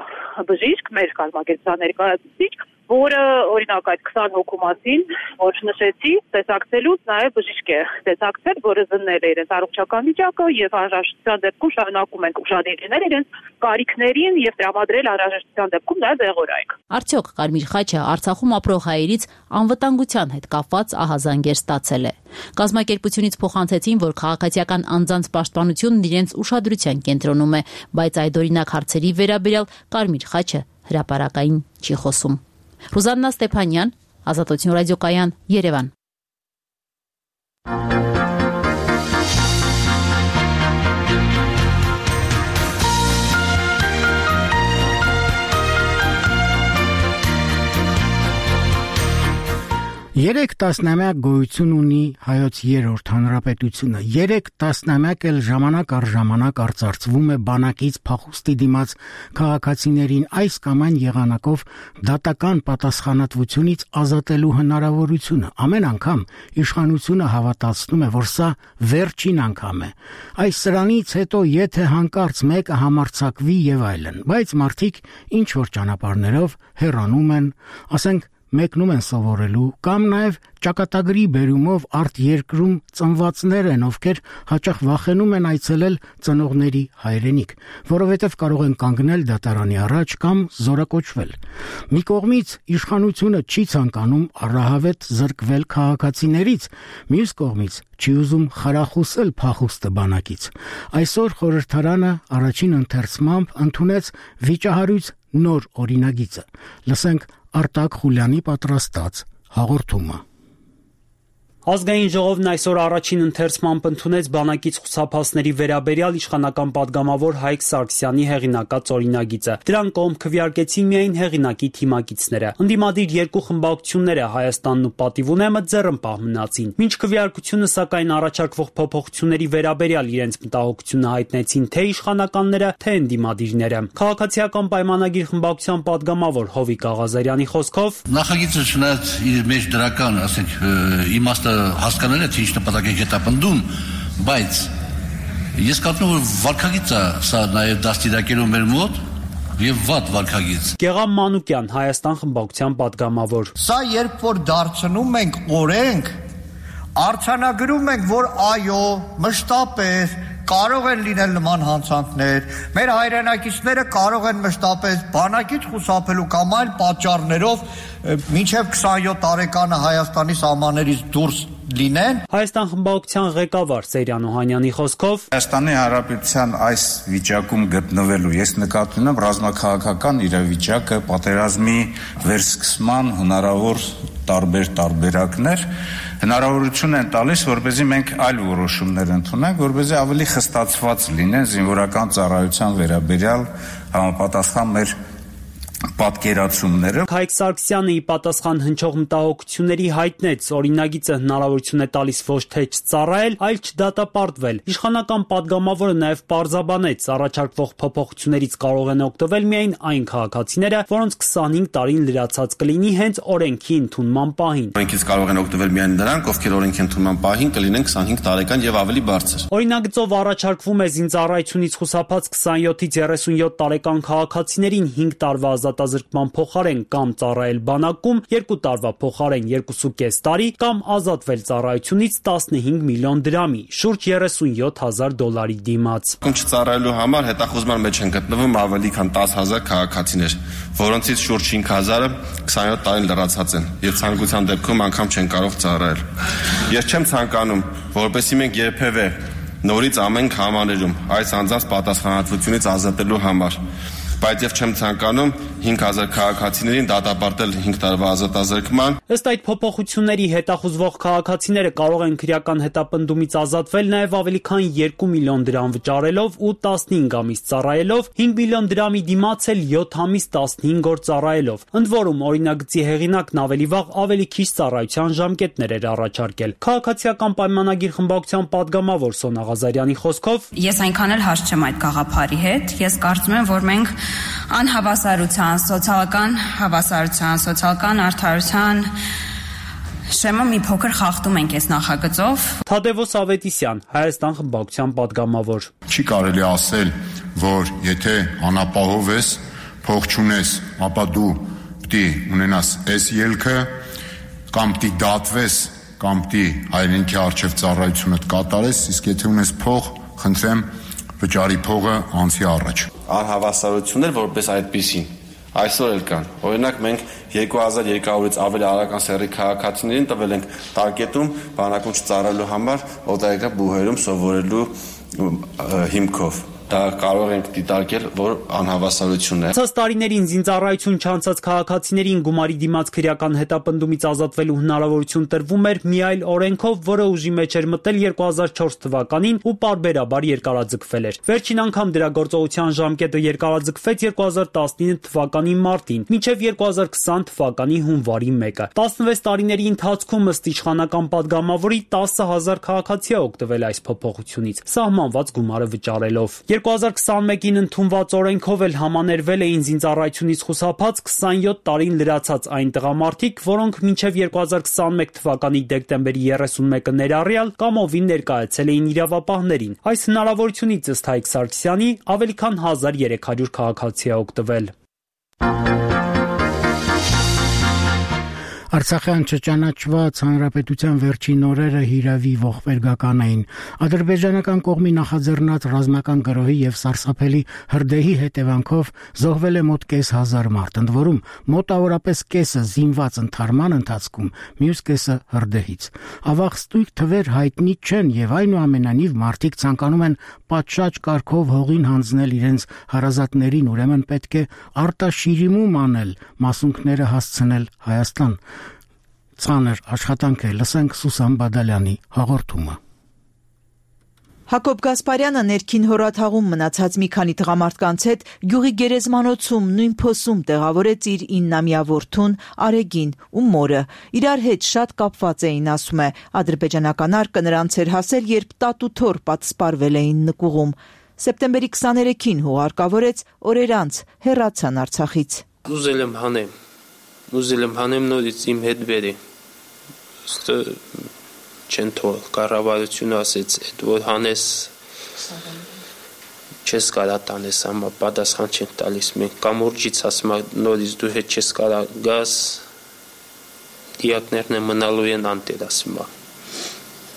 բժիշկ, մեր կազմակերպության ներկայացուցիչ, որը օրինակ այդ 20 հոգու մասին, որ նշեցի, տեսակցելուց նաև բժիշկ է տեսակցել, որը զննել է իրենց առողջական վիճակը եւ անհրաժեշտության դեպքում շարունակում ենք ուշադրել իրենց կարիքներին եւ տրամադրել անհրաժեշտության դեպքում նաև դեղորայք։ Արդյոք Կարմիր խաչը Արցախում ապրող հայերից անվտանգության հետ կապված ահազանգեր ստացել է։ Կազմակերպությունից փոխանցեցին, որ քաղաքացիական անձանց պաշտպանությունն իրենց ուշադրության կենտրոնում է, բայց այդօրինակ հարցերի վերաբերյալ Կարմիր խաչը հրապարակային չի խոսում։ Ռուզաննա Ստեփանյան, Ազատություն ռադիոկայան, Երևան։ Երեք տասնամյակ գոյություն ունի հայոց երրորդ հանրապետությունը, 3 տասնամյակ էլ ժամանակ առ ժամանակ արծարծվում է բանակից փախուստի դիմաց քաղաքացիներին այս կամ այն եղանակով դատական պատասխանատվությունից ազատելու հնարավորությունը։ Ամեն անգամ իշխանությունը հավատացնում է, որ սա վերջին անգամ է։ Այս սրանից հետո եթե հանկարծ մեկը համարձակվի եւ այլն, բայց մարդիկ ինչ որ ճանապարհներով հեռանում են, ասենք մեկնում են սովորելու կամ նաև ճակատագրի բերումով արտերկրում ծնվածներ են, ովքեր հաճախ վախենում են այցելել ծնողների հայրենիք, որովհետև կարող են կանգնել դատարանի առաջ կամ զորակոչվել։ Մի կողմից իշխանությունը չի ցանկանում առահավետ զրկվել քաղաքացիներից, մյուս կողմից չի ուզում խրախուսել փախուստը բանակից։ Այսօր խորհրդարանը առաջին ընթերցմամբ ընդունեց վիճահարույց նոր օրինագիծը։ Լսենք Արտակ Խուլյանի պատրաստած հաղորդումը։ Ազգային ժողովն այսօր առաջին ընթերցմամբ ընդունեց բանակից խուսափածների վերաբերյալ իշխանական падգամավոր Հայկ Սարգսյանի հեղինակած օրինագիծը։ Դրան կողմ քվեարկեցին միայն հեղինակի թիմակիցները։ Ընդդիմադիր երկու խմբակցությունները Հայաստանն ու Պատիվունեմը ձեռնպահ մնացին։ Մինչ քվեարկությունը սակայն առաջարկվող փոփոխությունների վերաբերյալ իրենց մտահոգությունը հայտնեցին թե իշխանականները, թե ընդդիմադիրները։ Քաղաքացիական պայմանագիր խմբակցության падգամավոր Հովիկ Աղազարյանի խոսքով նախագիծը չնայած իր մեջ դրական, ասենք, իմաստը հասկանալի է, թե ինչ նպատակ է հետապնդում, բայց ես կարծում եմ, որ վարքագիծը սա նաև դաստիարակելու մեր մոտ եւ վատ վարքագիծ։ Գեղամ Մանուկյան, Հայաստան խմբակցության падգամավոր։ Սա երբ որ դարձնում ենք օրենք, արձանագրում ենք, որ այո, մշտապես կարող են լինել նման հանցանքներ, մեր հայրենակիցները կարող են մշտապես բանակից խուսափելու կամ այլ պատճառներով մինչև 27 տարեկանը Հայաստանի սահմաններից դուրս լինեն։ Հայաստան խմբակցության ղեկավար Սերյան Օհանյանի խոսքով Հայաստանի Հանրապետության այս վիճակում գտնվելու ես նկատի ունեմ ռազմաքաղաքական իրավիճակը, պատերազմի վերսկսման հնարավոր տարբեր տարբերակներ հնարավորություն են տալիս, որպեսզի մենք այլ որոշումներ ընդունենք, որպեսզի ավելի խստացված լինեն զինվորական ծառայության վերաբերյալ համապատասխան մեր պատկերացումները։ Հայկ Սարգսյանը ի պատասխան հնչող մտահոգությունների հայտնեց, օրինագիծը հնարավորություն է տալիս ոչ թե չծառայել, այլ չդատապարտվել։ Իշխանական падգամավորը նաև պարզաբանեց, առաջարկվող փոփոխություններից կարող են օգտվել միայն այն քաղաքացիները, որոնց 25 տարին լրացած կլինի հենց օրենքի ընդունման պահին։ Օրենքից կարող են օգտվել միայն նրանք, ովքեր օրենքի ընդունման պահին կլինեն 25 տարեկան եւ ավելի բարձր։ Օրինագծով առաջարկվում է զինծառայությունից խուսափած 27-ից 37 տարեկան քաղաքացիներին 5 տարվա ազատազրկման փոխարեն կամ ծառայել բանակում 2 տարվա փոխարեն 2.5 տարի կամ ազատվել ծառայությունից 15 միլիոն դրամի, շուրջ $37,000 դիմաց։ Չծառայելու համար հետախուզման մեջ են գտնվում ավելի քան 10,000 քաղաքացիներ, որոնցից շուրջ 5,000-ը 27 տարին լրացած են եւ ցանկության դեպքում անգամ չեն կարող ծառայել։ Ես չեմ ցանկանում, որպեսզի մենք երբևէ նորից ամեն համաներում այս անձանց պատասխանատվությունից ազատելու համար բայց եւ չեմ ցանկանում 5000 քաղաքացիներին դատապարտել 5 տարվա ազատազրկման։ Ըստ այդ փոփոխությունների հետախուզվող քաղաքացիները կարող են քրեական հետապնդումից ազատվել նաեւ ավելի քան 2 միլիոն դրամ վճարելով ու 15 ամիս ծառայելով, 5 միլիոն դրամի դիմաց էլ 7 ամիս 15 օր ծառայելով։ Ընդ որում օրինագծի հեղինակն ավելի վաղ ավելի քիչ ծառայության ժամկետներ էր առաջարկել։ Քաղաքացիական պայմանագիր խմբակցության падգամավոր Սոնա Ղազարյանի խոսքով ես այնքան էլ հարց չեմ այդ գաղափարի հետ, ես կարծում եմ, որ մենք անհավասարության, սոցիալական արդարության շեմը մի փոքր խախտում ենք այս նախագծով։ Թադևոս Ավետիսյան, Հայաստան խմբակցության падգամավոր։ Չի կարելի ասել, որ եթե անապահով ես, փող չունես, ապա դու պիտի ունենաս այս ելքը, կամ պիտի դատվես, կամ պիտի հայրենիքի առջև ծառայությունդ կատարես, իսկ եթե ունես փող, խնդրեմ վճարի փողը անցի առաջ։ Անհավասարություններ որպես այդպիսին այսօր էլ կան։ Օրինակ մենք 2200-ից ավելի արական սեռի քաղաքացիներին տվել ենք տարկետում բանակում չծառայելու համար օտարերկրյա բուհերում սովորելու հիմքով։ Դա կարող ենք դիտարկել, որ անհավասարություն է։ Ցած տարիներին զինծառայություն չանցած քաղաքացիներին գումարի դիմաց քրեական հետապնդումից ազատվելու հնարավորություն տրվում էր մի այլ օրենքով, որը ուժի մեջ էր մտել 2004 թվականին ու պարբերաբար երկարաձգվել էր։ Վերջին անգամ դրա գործողության ժամկետը երկարաձգվեց 2019 թվականի մարտին, մինչև 2020 թվականի հունվարի 1-ը։ 16 տարիների ընթացքում ըստ իշխանական падգամավորի 10000 քաղաքացի է օգտվել այս փոփոխությունից, սահմանված գումարը վճարելով։ 2021-ին ընդունված օրենքով էլ համաներվել էին զինծառայությունից խուսափած 27 տարին լրացած այն տղամարդիկ, որոնք մինչև 2021 թվականի դեկտեմբերի 31-ը ներառյալ կամովին ներկայացել էին իրավապահներին։ Այս հնարավորությունից ըստ Հայկ Սարգսյանի ավելի քան 1300 քաղաքացի է օգտվել։ Արցախյան չճանաչված հանրապետության վերջին օրերը հիրավի ողբերգական էին։ Ադրբեջանական կողմի նախաձեռնած ռազմական գրոհի եւ սարսափելի հրդեհի հետևանքով զոհվել է մոտ 5,000 մարդ, ընդ որում մոտավորապես կեսը զինված ընդհարման ընթացքում, մյուս կեսը հրդեհից։ Ավաղ ստույգ թվեր հայտնի չեն եւ այնուամենայնիվ մարդիկ ցանկանում են պատշաճ կարգով հողին հանձնել իրենց հարազատներին, ուրեմն պետք է արտաշիրիմում անել, մասունքները հասցնել Հայաստան։ Ցաներ աշխատանք է, լսենք Սուսան Բադալյանի հաղորդումը։ Հակոբ Գասպարյանը ներքին հորաթաղում մնացած մի քանի տղամարդկանց հետ գյուղի գերեզմանոցում նույն փոսում տեղավորեց իր 9-ամյա որդուն Արեգին ու մորը։ Իրար հետ շատ կապված էին, ասում է, ադրբեջանական արկը նրանց էր հասել, երբ տատ ու թոռ պատսպարվել էին նկուղում։ Սեպտեմբերի 23-ին հուղարկավորեց, օրեր անց հեռացան Արցախից։ Ուզել եմ հանեմ նորից իմ հետ բերի։ Չեն թողել, կառավարությունը ասեց, այդ որ հանես չես կարա տանես, համա պատասխան չեն տալիս, մենք կամուրջից ասում նորից դու հետ չես կարա գաս, դիակներն է մնալու են անտեր ասում։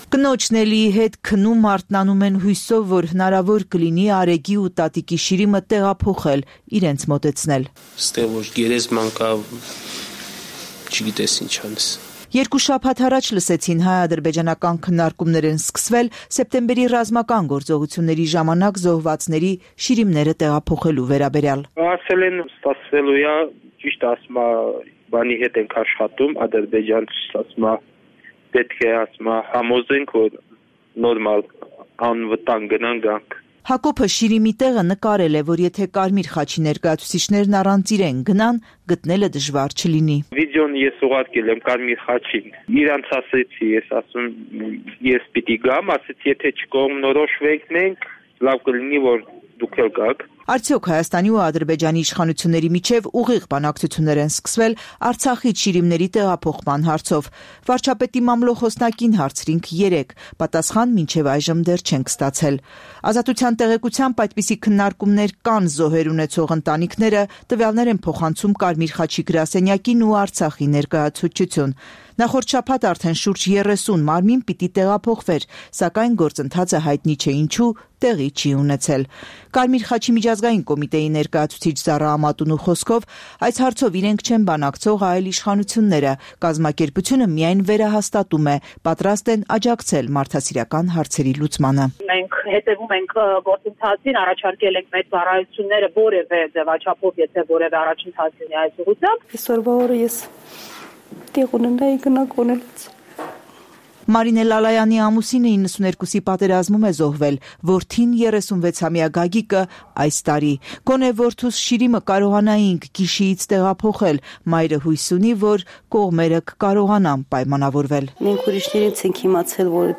Կնոջն Էլիի հետ քնում արթնանում են հույսով, որ հնարավոր կլինի Արեգի ու տատիկի շիրիմը տեղափոխել, իրենց մոտեցնել։ Ստեղ որ գերեզման կա, չգիտես ինչ անես։ 2 շաբաթ առաջ լսեցին հայ-ադրբեջանական քննարկումներ են սկսվել սեպտեմբերի ռազմական գործողությունների ժամանակ զոհվածների շիրիմները տեղափոխելու վերաբերյալ։ Ասել են ստացվելու է, ճիշտ ասում բանի հետ ենք աշխատում, Ադրբեջան ասում պետք է ասում համոզենք, որ նորմալ անվտանգ գնան գանք։ Հակոբը շիրիմի տեղը նկարել է, որ եթե Կարմիր խաչի ներկայացուցիչներն առանց իրեն գնան, գտնելը դժվար չլինի։ Վիդեոն ես ուղարկել եմ Կարմիր խաչին։ Իրանց ասեցի, ես ասում ես պիտի գամ, ասեցի եթե չկողմնորոշվենք մենք, լավ կլինի որ դուք էլ գաք։ Արդյոք Հայաստանի ու Ադրբեջանի իշխանությունների միջև ուղիղ բանակցություններ են սկսվել Արցախից շիրիմների տեղափոխման հարցով։ Վարչապետի մամլոխոսնակին հարցրինք 3, պատասխան մինչև այժմ դեռ չենք ստացել։ Ազատության տեղեկությամբ այդպիսի քննարկումներ կան զոհեր ունեցող ընտանիքները տվյալներ են փոխանցում Կարմիր խաչի գրասենյակին ու Արցախի ներկայացուցչություն։ Նախորդ շաբաթ արդեն շուրջ 30 մարմին պիտի տեղափոխվեր, սակայն գործընթացը հայտնի չէ ինչու տեղի չի ունեցել։ Կարմիր խաչի միջազգային կոմիտեի ներկայացուցիչ Զարա Ամատունու խոսքով այս հարցով իրենք չեն բանակցող այլ իշխանությունները, կազմակերպությունը միայն վերահաստատում է, պատրաստ են աջակցել մարդասիրական հարցերի լուծմանը։ Մենք հետևում ենք գործընթացին, առաջարկել ենք մեր ծառայությունները որևէ ձևաչափով, եթե որևէ առաջընթաց լինի այս ուղղությամբ։ Այսօրվա օրը ես տեղ ունենայի գնանք ունենաց։ Մարինե Լալայանի ամուսինը 92-ի պատերազմում է զոհվել, որդին 36-ամյա Գագիկը այս տարի։ Գոնե որդուս Շիրիմը կարողանայինք գիշիից տեղափոխել, մայրը հույս ունի, որ կողմերը կկարողանան պայմանավորվել։ Մենք ուրիշներից ենք իմացել, որ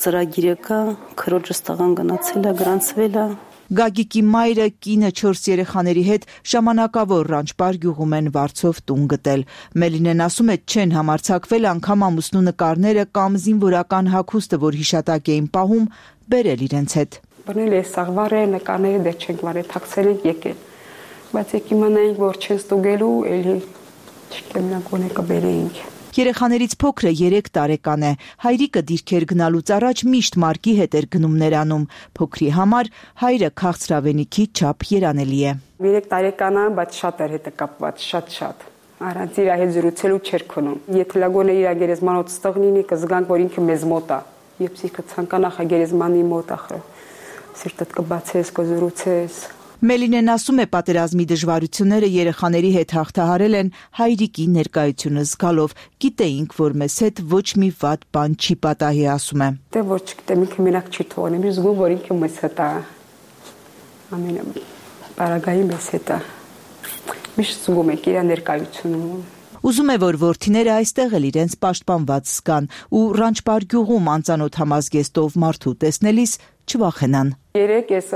ծրագիրը կա, քրոջս տղան գնացել է, գրանցվել է։ Գագիկի մայրը կինը 4 երեխաների հետ ժամանակավոր Ռանչպար գյուղում են վարձով տուն գտել։ Մելինեն ասում է, չեն համարձակվել անգամ ամուսնու նկարները կամ զինվորական հագուստը, որ հիշատակ էին պահում, բերել իրենց հետ։ Բռնել է սաղվարը, նկարները դեռ չենք վարել, թաքցել ենք եկել։ Բայց եք իմանայինք, որ չեն ստուգելու, էլի չգիտեմ նա գոնե կբերեինք։ Երեխաներից փոքրը 3 տարեկան է։ Հայրիկը դիրքեր գնալուց առաջ միշտ Մարկի հետ էր գնում նրանում։ Փոքրի համար հայրը քաղցրավենիքի չափ երանելի է։ 3 տարեկան է, բայց շատ էր հետը կապված, շատ։ Առանց իր հետ զրուցելու չէր քնում։ Եթե լագոնը իր գերեզմանոց ստողնինի, կզգանք, որ ինքը մեզ մոտ է։ Երբ սիրտը ցանկանա գերեզմանի մոտ ախր։ Սիրտդ կբացես, կզրուցես։ Մելինեն ասում է, պատերազմի դժվարությունները երեխաների հետ հաղթահարել են հայրիկի ներկայությունը զգալով։ Գիտեինք, որ մեզ հետ ոչ մի վատ բան չի պատահի, ասում է։ Դե որ չգիտեմ, ինքը մենակ չի թողնի, ես զգում, որ ինքը մեզ հետ է։ Բարագայի մեզ հետ է։ Միշտ զգում ենք իր ներկայությունը։ Ուզում է, որ որդիները այստեղ էլ իրենց պաշտպանված զգան ու Ռանչպար գյուղում անծանոթ համազգեստով մարդու տեսնելիս չվախենան։ Երեք ես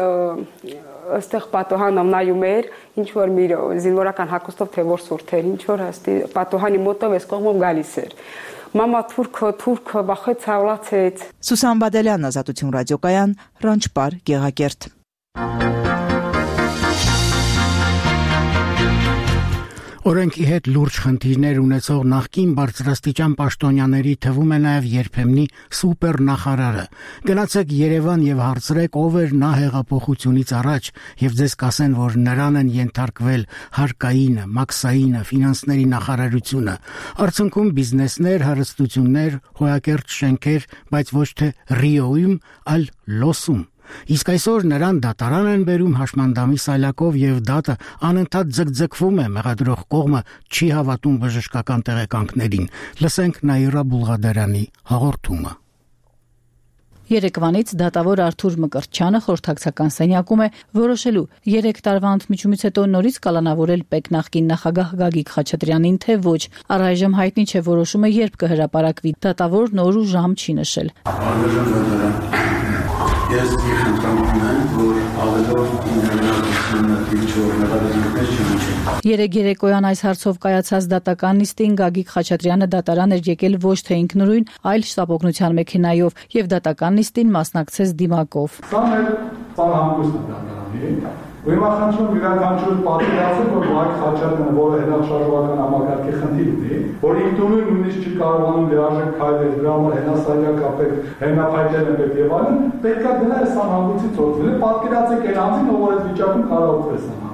այստեղ պատոհանը նայում էր, ինչ որ մի զինվորական հագուստով թե որ սուրթ էր, ինչ որ հաստի պատոհանի մոտով էս կողմով գալիս էր։ Մամա թուրքը վախեց, հալացեց։ Սուսան Բադելյան, Ազատություն ռադիոկայան, Ռանչպար, Գեղակերտ։ Օրենքի հետ լուրջ խնդիրներ ունեցող նախկին բարձրաստիճան պաշտոնյաների թվում է նաև երբեմնի սուպեր նախարարը։ Գնացեք Երևան եւ հարցրեք, ով էր նա հեղափոխությունից առաջ, եւ ձեզ կասեն, որ նրան են ենթարկվել հարկայինը, մաքսայինը, ֆինանսների նախարարությունը։ Արդյունքում բիզնեսներ, հարստություններ, հոյակերտ շենքեր, բայց ոչ թե Ռիոյում, այլ Լոսում։ Իսկ այսօր նրան դատարան են բերում հաշմանդամի սայլակով եւ դատը անընդհատ ձգձգվում է, մեղադրող կողմը չի հավատում բժշկական տեղեկանքներին։ Լսենք Նաիրա Բուլղադարյանի հաղորդումը։ Երեկվանից դատավոր Արթուր Մկրտչյանը խորհրդակցական սենյակում է որոշելու 3 տարվա ընդմիջումից հետո նորից կալանավորել ՊԵԿ նախկին նախագահ Գագիկ Խաչատրյանին, թե ոչ։ Առայժմ հայտնի չէ որոշումը երբ կհրապարակվի։ Դատավորն օր ու ժամ չի նշել։ Ես խնդրում եմ, որ ավելորդ Երեկ երեկոյան այս հարցով կայացած դատական նիստին Գագիկ Խաչատրյանը դատարան էր եկել ոչ թե ինքնուրույն, այլ շտապօգնության մեքենայով եւ դատական նիստին մասնակցեց դիմակով։ Սա մեր ծանհանգույցն է դատարանի։ Ուրեմն խնդրում յուրաքանչյուր պատկերացրեք, որ Գագիկ Խաչատրյանը, որը հենաշարժողական համակարգի խնդիր ունի, որ ինքնուրույն նույնիսկ չի կարողանում լիարժեք քայլել, դրա համար հենասայլակ կապել, հենափայտել են եւ այլն, պետք է գնա այս ծանհանգույցից օգտվել։ Պատկերացրեք այն անձին, ով այդ վիճակում կարող է օգտվել։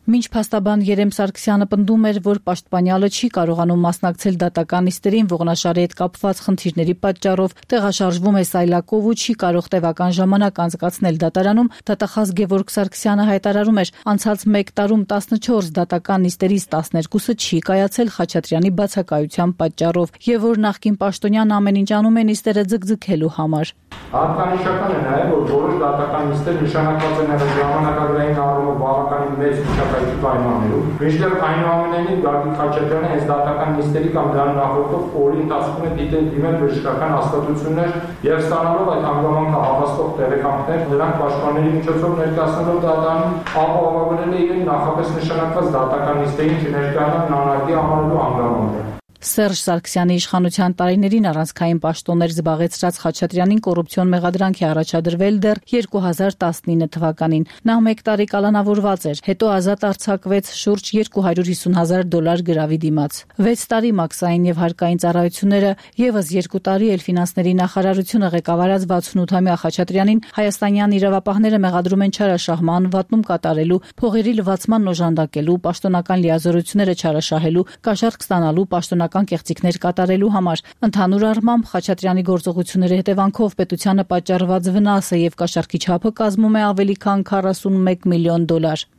Մինչ փաստաբան Երեմ Սարգսյանը պնդում էր, որ պաշտպանյալը չի կարողանում մասնակցել դատական նիստերին ողնաշարի հետ կապված խնդիրների պատճառով, տեղաշարժվում է սայլակով ու չի կարող տևական ժամանակ անցկացնել դատարանում, դատախազ Գևորգ Սարգսյանը հայտարարում էր, անցած 1 տարում 14 դատական նիստերից 12-ը չի կայացել Խաչատրյանի բացակայության պատճառով, եւ որ նախկին պաշտոնյան ամեն ինչ անում է նիստերը ձգձգելու համար։ Հատկանշական է նաև, որ որոշ դատական նիստեր նշանակված են նաև ժամանակագրային առումով բավականին մեծ մշակայքի պայմաններում։ Մինչդեռ այնուամենայնիվ Գագիկ Խաչատրյանը այս դատական նիստերի կամ դրան նախորդող օրի ընթացքում է դիմել բժշկական հաստատություններ եւ ստանալով այդ հանգամանքը հավաստող տեղեկանքներ, նրանք պաշտպանների միջոցով ներկայացնելով դատարանում ապահովագրել է իրեն նախապես նշանակված դատական նիստերին չներկայանալ նանարդի համարելու հանգամանքը։ Սերժ Սարգսյանի իշխանության տարիներին առանցքային պաշտոններ զբաղեցրած Խաչատրյանին կոռուպցիոն մեղադրանք է առաջադրվել դեռ 2019 թվականին։ Նա 1 տարի կալանավորված էր, հետո ազատ արձակվեց շուրջ $250,000 գրավի դիմաց։ 6 տարի մաքսային եւ հարկային ծառայությունները, եւս 2 տարի էլ ֆինանսների նախարարությունը ղեկավարած 68-ամյա Խաչատրյանին հայաստանյան իրավապահները մեղադրում են չարաշահման, վատնում կատարելու, փողերի լվացման օժանդակելու, պաշտոնական լիազորությունները չարաշահելու, կաշառք ստանալու, պաշտոնական պաշտոնական կեղծիքներ կատարելու համար։ Ընդհանուր առմամբ Խաչատրյանի գործողությունների հետևանքով պետությանը պատճառված վնասը եւ կաշառքի չափը կազմում է ավելի քան $41 միլիոն։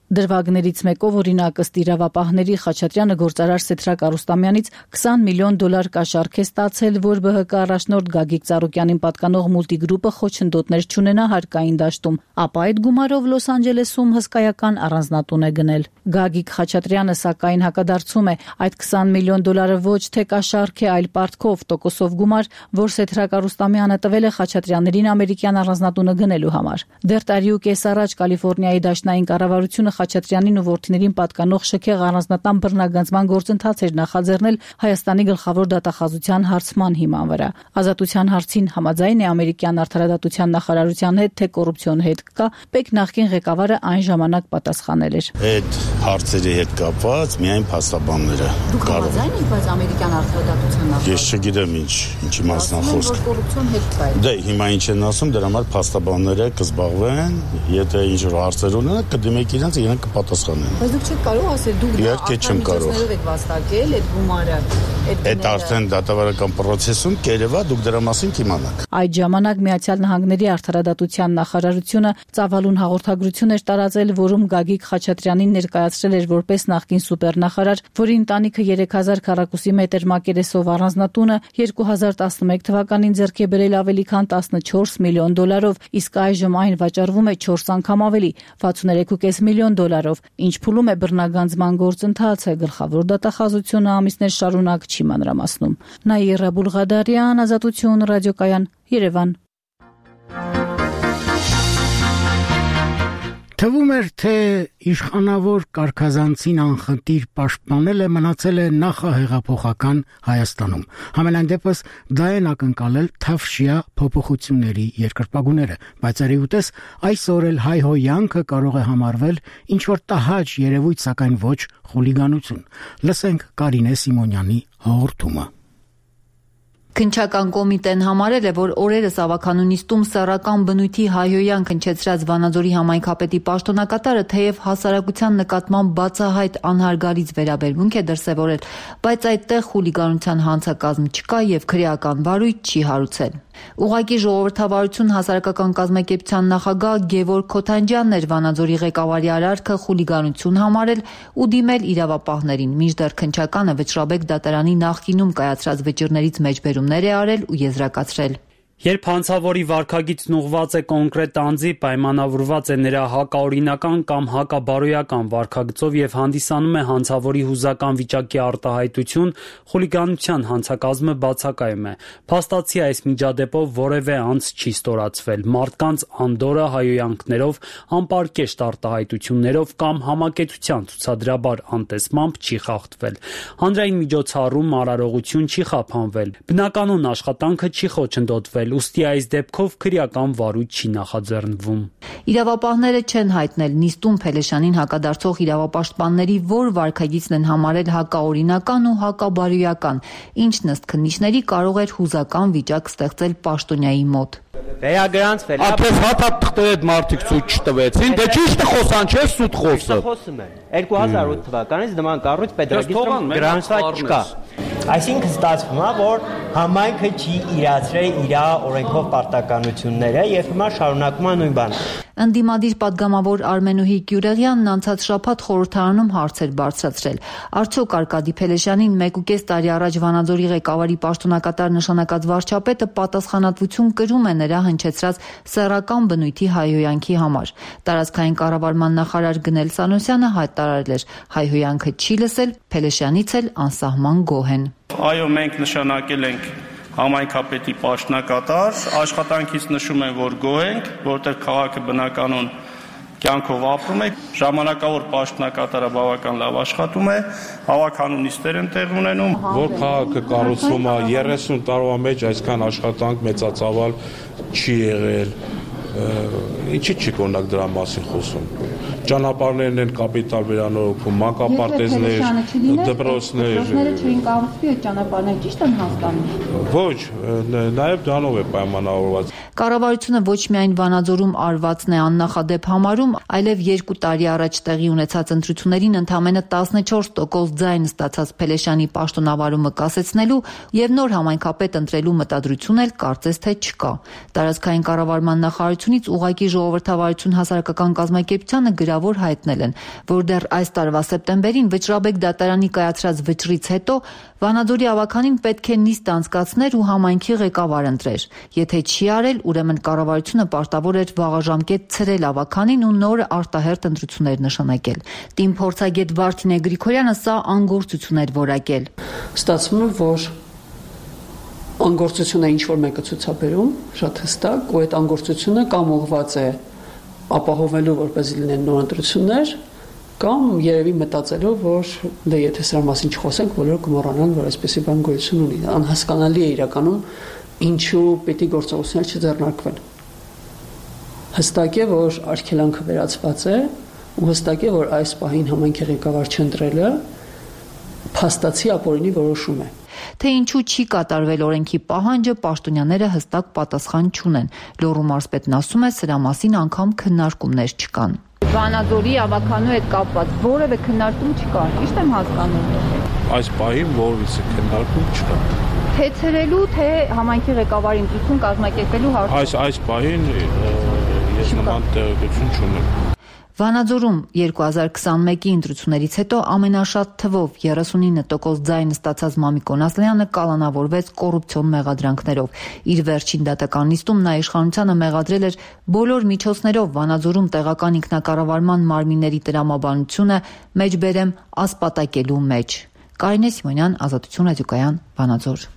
Դրվագներից մեկով օրինակ ըստ իրավապահների Խաչատրյանը գործարար Սեթրակ Արուստամյանից $20 միլիոն կաշառք է ստացել, որ ԲՀԿ առաջնորդ Գագիկ Ծառուկյանին պատկանող մուլտիգրուպը խոչընդոտներ չունենա հարկային դաշտում, ապա այդ գումարով Լոս Անջելեսում հսկայական առանձնատուն է գնել։ Գագիկ Խաչատրյանը սակայն հակադարձում է, այդ $20 միլիոն ոչ թե կաշառք է, այլ պարտքով տոկոսով գումար, որ Սեթրակ Արուստամյանը տվել է Խաչատրյաններին ամերիկյան առանձնատունը գնելու համար։ Դեռ տարի ու կես առաջ Կալիֆոռնիայի դաշնային կառավարությունը Խաչատրյանին ու որդիներին պատկանող շքեղ առանձնատան բռնագանձման գործընթաց էր նախաձեռնել Հայաստանի գլխավոր դատախազության հարցման հիման վրա։ Ազատության հարցին համաձայն է ամերիկյան արդարադատության նախարարության հետ, թե կոռուպցիոն հետ կա, Պեկ նախկին ղեկավարը այն ժամանակ պատասխանել էր։ Այդ հարցերի հետ կապված միայն փաստաբանները կարող են, բայց ամերիկյան արդարադատության նախարարությունը։ Ես չգիտեմ ինչի մասն է խոսքը։ Կոռուպցիոն հետ կա։ Դե հիմա ինչ են ասում, դրա համար փաստաբանները կզբաղվեն, եթե ինչ-որ հարցեր ունենան, կդիմեք իրենց իրենք կպատասխանեն։ Բայց դուք չեք կարող ասել դուք իհարկե չեմ կարող։ եք վաստակել այդ գումարը, այդ արդեն դատավարական process-ում կերևա դուք դրա մասին կիմանաք։ Այդ ժամանակ Միացյալ Նահանգների արդարադատության նախարարությունը ծավալուն հաղորդագրություն էր տարածել, որում Գագիկ Խաչատրյանին ներկայացրել էր որպես նախկին սուպերնախարար, որի ընտանիքը 3000 քառակուսի մետր մակերեսով առանձնատունը 2011 թվականին ձեռք է բերել ավելի քան $14 միլիոն, իսկ այժմ այն վաճառվում է 4 անգամ ավելի, $63.5 միլիոն, ինչ փուլում է բռնագանձման գործընթացը, գլխավոր դատախազությունը ամիսներ շարունակ չի մանրամասնում։ Նաիրա Բուլղադարյան, Ազատություն, ռադիոկայան, Երևան։ Թվում էր, թե իշխանավոր կարգազանցին անխտիր պաշտպանելը մնացել է նախահեղափոխական Հայաստանում։ Համենայն դեպս դա են ակնկալել թավշյա փոփոխությունների երկրպագուները, բայց արիուտես այսօր էլ հայհոյանքը կարող է համարվել ինչ-որ տհաճ երևույթ, սակայն ոչ խուլիգանություն։ Լսենք Կարինե Սիմոնյանի հաղորդումը։ Քննչական կոմիտեն համարել է, որ օրերս ավականունիստում սեռական բնույթի հայհոյան քնչեցրած Վանաձորի համայնքապետի պաշտոնակատարը թեև հասարակության նկատմամբ բացահայտ անհարգալից վերաբերմունք է դրսևորել, բայց այդտեղ խուլիգանության հանցակազմ չկա եւ քրեական վարույթ չի հարուցել։ Ուղղակի ժողովրդավարություն հասարակական կազմակերպության նախագահ Գևորգ Քոթանջյանն էր Վանաձորի ղեկավարի արարքը խուլիգանություն համարել ու դիմել իրավապահներին, մինչդեռ քննչականը Վճռաբեկ դատարանի նախկինում կայացրած վճիռներից մեջբերումներ է արել ու եզրակացրել։ Երբ հանցավորի վարքագիծն ուղղված է կոնկրետ անձի, պայմանավորված է նրա հակաօրինական կամ հակաբարոյական վարքագծով եւ հանդիսանում է հանցավորի հուզական վիճակի արտահայտություն, խուլիգանության հանցակազմը բացակայում է։ Փաստացի այս միջադեպով որևէ անձ չի ստորացվել, մարդկանց անդորը հայհոյանքներով, անպարկեշտ արտահայտություններով կամ համակեցության ցուցադրաբար անտեսմամբ չի խախտվել։ Հանրային միջոցառում արարողություն չի խափանվել։ Բնականոն աշխատանքը չի խոչընդոտվել, ուստի այս դեպքով քրեական վարույթ չի նախաձեռնվում։ Իրավապահները չեն հայտնել նիստում Փելեշյանին հակադարձող իրավապաշտպանների որ վարքագիծն են համարել հակաօրինական ու հակաբարոյական, ինչն ըստ քննիչների կարող էր հուզական վիճակ ստեղծել պաշտոնյայի մոտ։ Վերագրանցվել է։ Ապես հատակ թղթեր այդ մարդիկ ցույց չտվեցին, դե ճիշտ է խոսան, չէ՞ սուտ խոսը։ Խոսում են։ 2008 թվականից նման կառույց պետրագիստրում գրանցված չկա։ Այսինքն ստացվում է, որ համայնքը չի իրացրել իր օրենքով պարտականությունները եւ հիմա շարունակում է նույն բանը։ Ընդդիմադիր պատգամավոր Արմենուհի Գյուրեղյանն անցած շաբաթ խորհրդարանում հարցեր բարձրացրել։ Արդյոք Արկադի Փելեշյանին 1.5 տարի առաջ Վանաձորի ղեկավարի պաշտոնակատար նշանակած վարչապետը պատասխանատվություն կրում է նրա հնչեցրած սեռական բնույթի հայհոյանքի համար։ Տարածքային կառավարման նախարար Գնել Սանոսյանը հայտարարել էր՝ հայհոյանքը չի լսել, Փելեշյանից էլ անսահման գոհ են։ Այո, մենք նշանակել ենք համայնքապետի պաշտոնակատար, աշխատանքից նշում են, որ գոհ ենք, որտեղ քաղաքը բնականon կյանքով ապրում է, ժամանակավոր պաշտոնակատարը բավական լավ աշխատում է, հավաքանունիստեր են տեղ ունենում, որ քաղաքը կառուցվում է 30 տարվա մեջ այսքան աշխատանք մեծածավալ չի եղել, ինչի՞ չի կոնակ դրա մասին խոսում։ Ճանապարհներն են կապիտալ վերանորոգում, մանկապարտեզներ, դպրոցներ։ Դպրոցները չէին կառուցվի այդ ճանապարհները, ճիշտ եմ հասկանում։ Ոչ, նաև դրանով է պայմանավորված։ Կառավարությունը ոչ միայն Վանաձորում արվածն է աննախադեպ համարում, այլև 2 տարի առաջ տեղի ունեցած ընտրություններին ընդամենը 14% ձայն ստացած Փելեշյանի պաշտոնավարումը կասեցնելու եւ նոր համայնքապետ ընտրելու մտադրություն էլ կարծես թե չկա։ Տարածքային կառավարման նախարարությունից ուղղակի ժողովրդավարություն հասարակական կազմակերպությանը գրավոր հայտնել են, որ դեռ այս տարվա սեպտեմբերին Վճռաբեկ դատարանի կայացրած վճռից հետո Վանաձորի ավականին պետք է նիստ անցկացներ ու համայնքի ղեկավար ընտրեր։ Եթե չի արել, ուրեմն կառավարությունը պարտավոր էր վաղաժամկետ ցրել ավականին ու նոր արտահերթ ընտրություններ նշանակել։ Տիմ փորձագետ Վարդինե Գրիգորյանը սա անգործություն էր որակել։ Ստացվում է, որ անգործությունը ինչ-որ մեկը ցուցաբերում, շատ հստակ, ու այդ անգործությունը կամ ուղղված է ապահովելու, որպեսզի լինեն նոր ընտրություններ, կամ երևի մտածելով, որ դե եթե սրա մասին չխոսենք, բոլորը կմոռանան, որ այսպեսի բան գոյություն ունի։ Անհասկանալի է իրականում ինչու պիտի գործողություններ չձեռնարկվեն։ Հստակ է, որ արգելանքը վերացված է, ու հստակ է, որ այս պահին համայնքի ղեկավար չընտրելը փաստացի ապօրինի որոշում է։ Թե ինչու չի կատարվել օրենքի պահանջը, պաշտոնյաները հստակ պատասխան չունեն։ Լոռու մարզպետն ասում է, սրա մասին անգամ քննարկումներ չկան։ Վանաձորի ավականու հետ կապված որևէ քննարկում չկա, ճիշտ եմ հասկանում։ Այս պահին որևէ քննարկում չկա։ Թե ցրելու, թե համայնքի ղեկավարի ընտրություն կազմակերպելու հարցը։ Այս պահին ես նման տեղեկություն չունեմ։ Վանաձորում 2021-ի ընտրություններից հետո ամենաշատ թվով 39% ձայն ստացած Մամիկ Օնասլյանը կալանավորվեց կոռուպցիոն մեղադրանքներով։ Իր վերջին դատական նիստում նա իշխանությանը մեղադրել էր բոլոր միջոցներով Վանաձորում տեղական ինքնակառավարման մարմինների տրամաբանությունը մեջբերեմ ասպատակելու մեջ։ Կարինե Սիմոնյան, Ազատություն ռադիոկայան, Վանաձոր։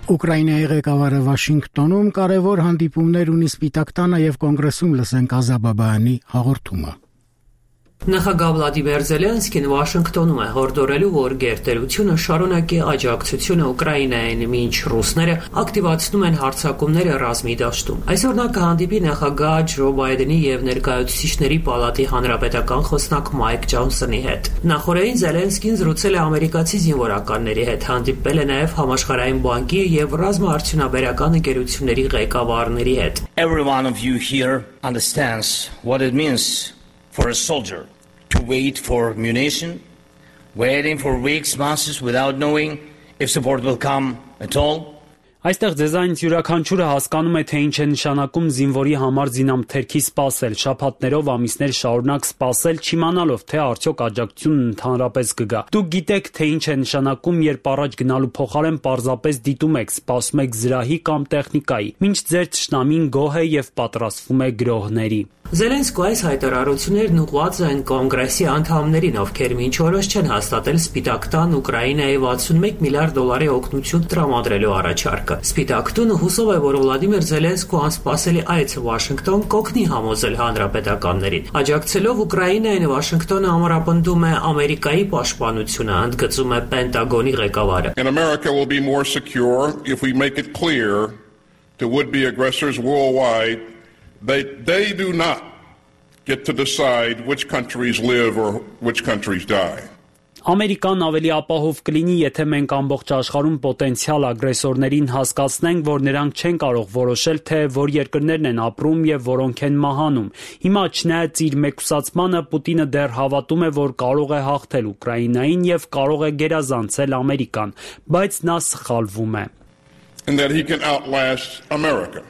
Ուկրաինայի ղեկավարը Վաշինգտոնում կարևոր հանդիպումներ ունի Սպիտակ տանը եւ կոնգրեսում լսենք Ազաբաբայանի հաղորդումը։ Նախագահ Վլադիմիր Զելենսկին Վաշինգտոնում է հորդորելու, որ գերտերությունը շարունակի աջակցությունը Ուկրաինային, մինչ ռուսները ակտիվացնում են հարձակումները ռազմի դաշտում։ Այսօր նա կհանդիպի նախագահ Ջո Բայդենի եւ ներկայացուցիչների պալատի հանրապետական խոսնակ Մայք Ջոնսոնի հետ։ Նախորդին Զելենսկին զրուցել է ամերիկացի զինվորականների հետ, հանդիպել է նաեւ Համաշխարհային բանկի եւ ռազմաարդյունաբերական ընկերությունների ղեկավարների հետ։ Every one of you here understands what it means for a soldier to wait for munition, waiting for weeks, months without knowing if support will come at all. Այստեղ ձեզանից յուրաքանչյուրը հասկանում է, թե ինչ է նշանակում զինվորի համար զինամթերքի սպասել, շաբաթներով, ամիսներ շարունակ սպասել, չիմանալով, թե արդյոք աջակցությունն ընդհանրապես կգա։ Դուք գիտեք, թե ինչ է նշանակում, երբ առաջ գնալու փոխարեն պարզապես դիտում եք, սպասում եք զրահի կամ տեխնիկայի, մինչ ձեր թշնամին գոհ է եւ պատրաստվում է գրոհների։ Զելենսկու այս հայտարարություններն ուղղված են կոնգրեսի անդամներին, ովքեր մինչ օրս չեն հաստատել Սպիտակ տան Ուկրաինայի $61 միլիարդ օգնություն տրամադրելու առաջարկը։ Սպիտակ տունը հուսով է, որ Վլադիմիր Զելենսկու անսպասելի այցը Վաշինգտոն կօգնի համոզել հանրապետականներին։ Աջակցելով Ուկրաինային, Վաշինգտոնը ամրապնդում է Ամերիկայի պաշտպանությունը, ընդգծում է Պենտագոնի ղեկավարը։ America will be more secure if we make it clear to would-be aggressors worldwide they do not get to decide which countries live or which countries die. Ամերիկան ավելի ապահով կլինի, եթե մենք ամբողջ աշխարհում պոտենցիալ ագրեսորներին հասկացնենք, որ նրանք չեն կարող որոշել, թե որ երկրներն են ապրում եւ որոնք են մահանում։ Հիմա չնայած իր մեկուսացմանը Պուտինը դեռ հավատում է, որ կարող է հաղթել Ուկրաինային եւ կարող է գերազանցել Ամերիկան, բայց նա սխալվում է։ And that he can outlast America.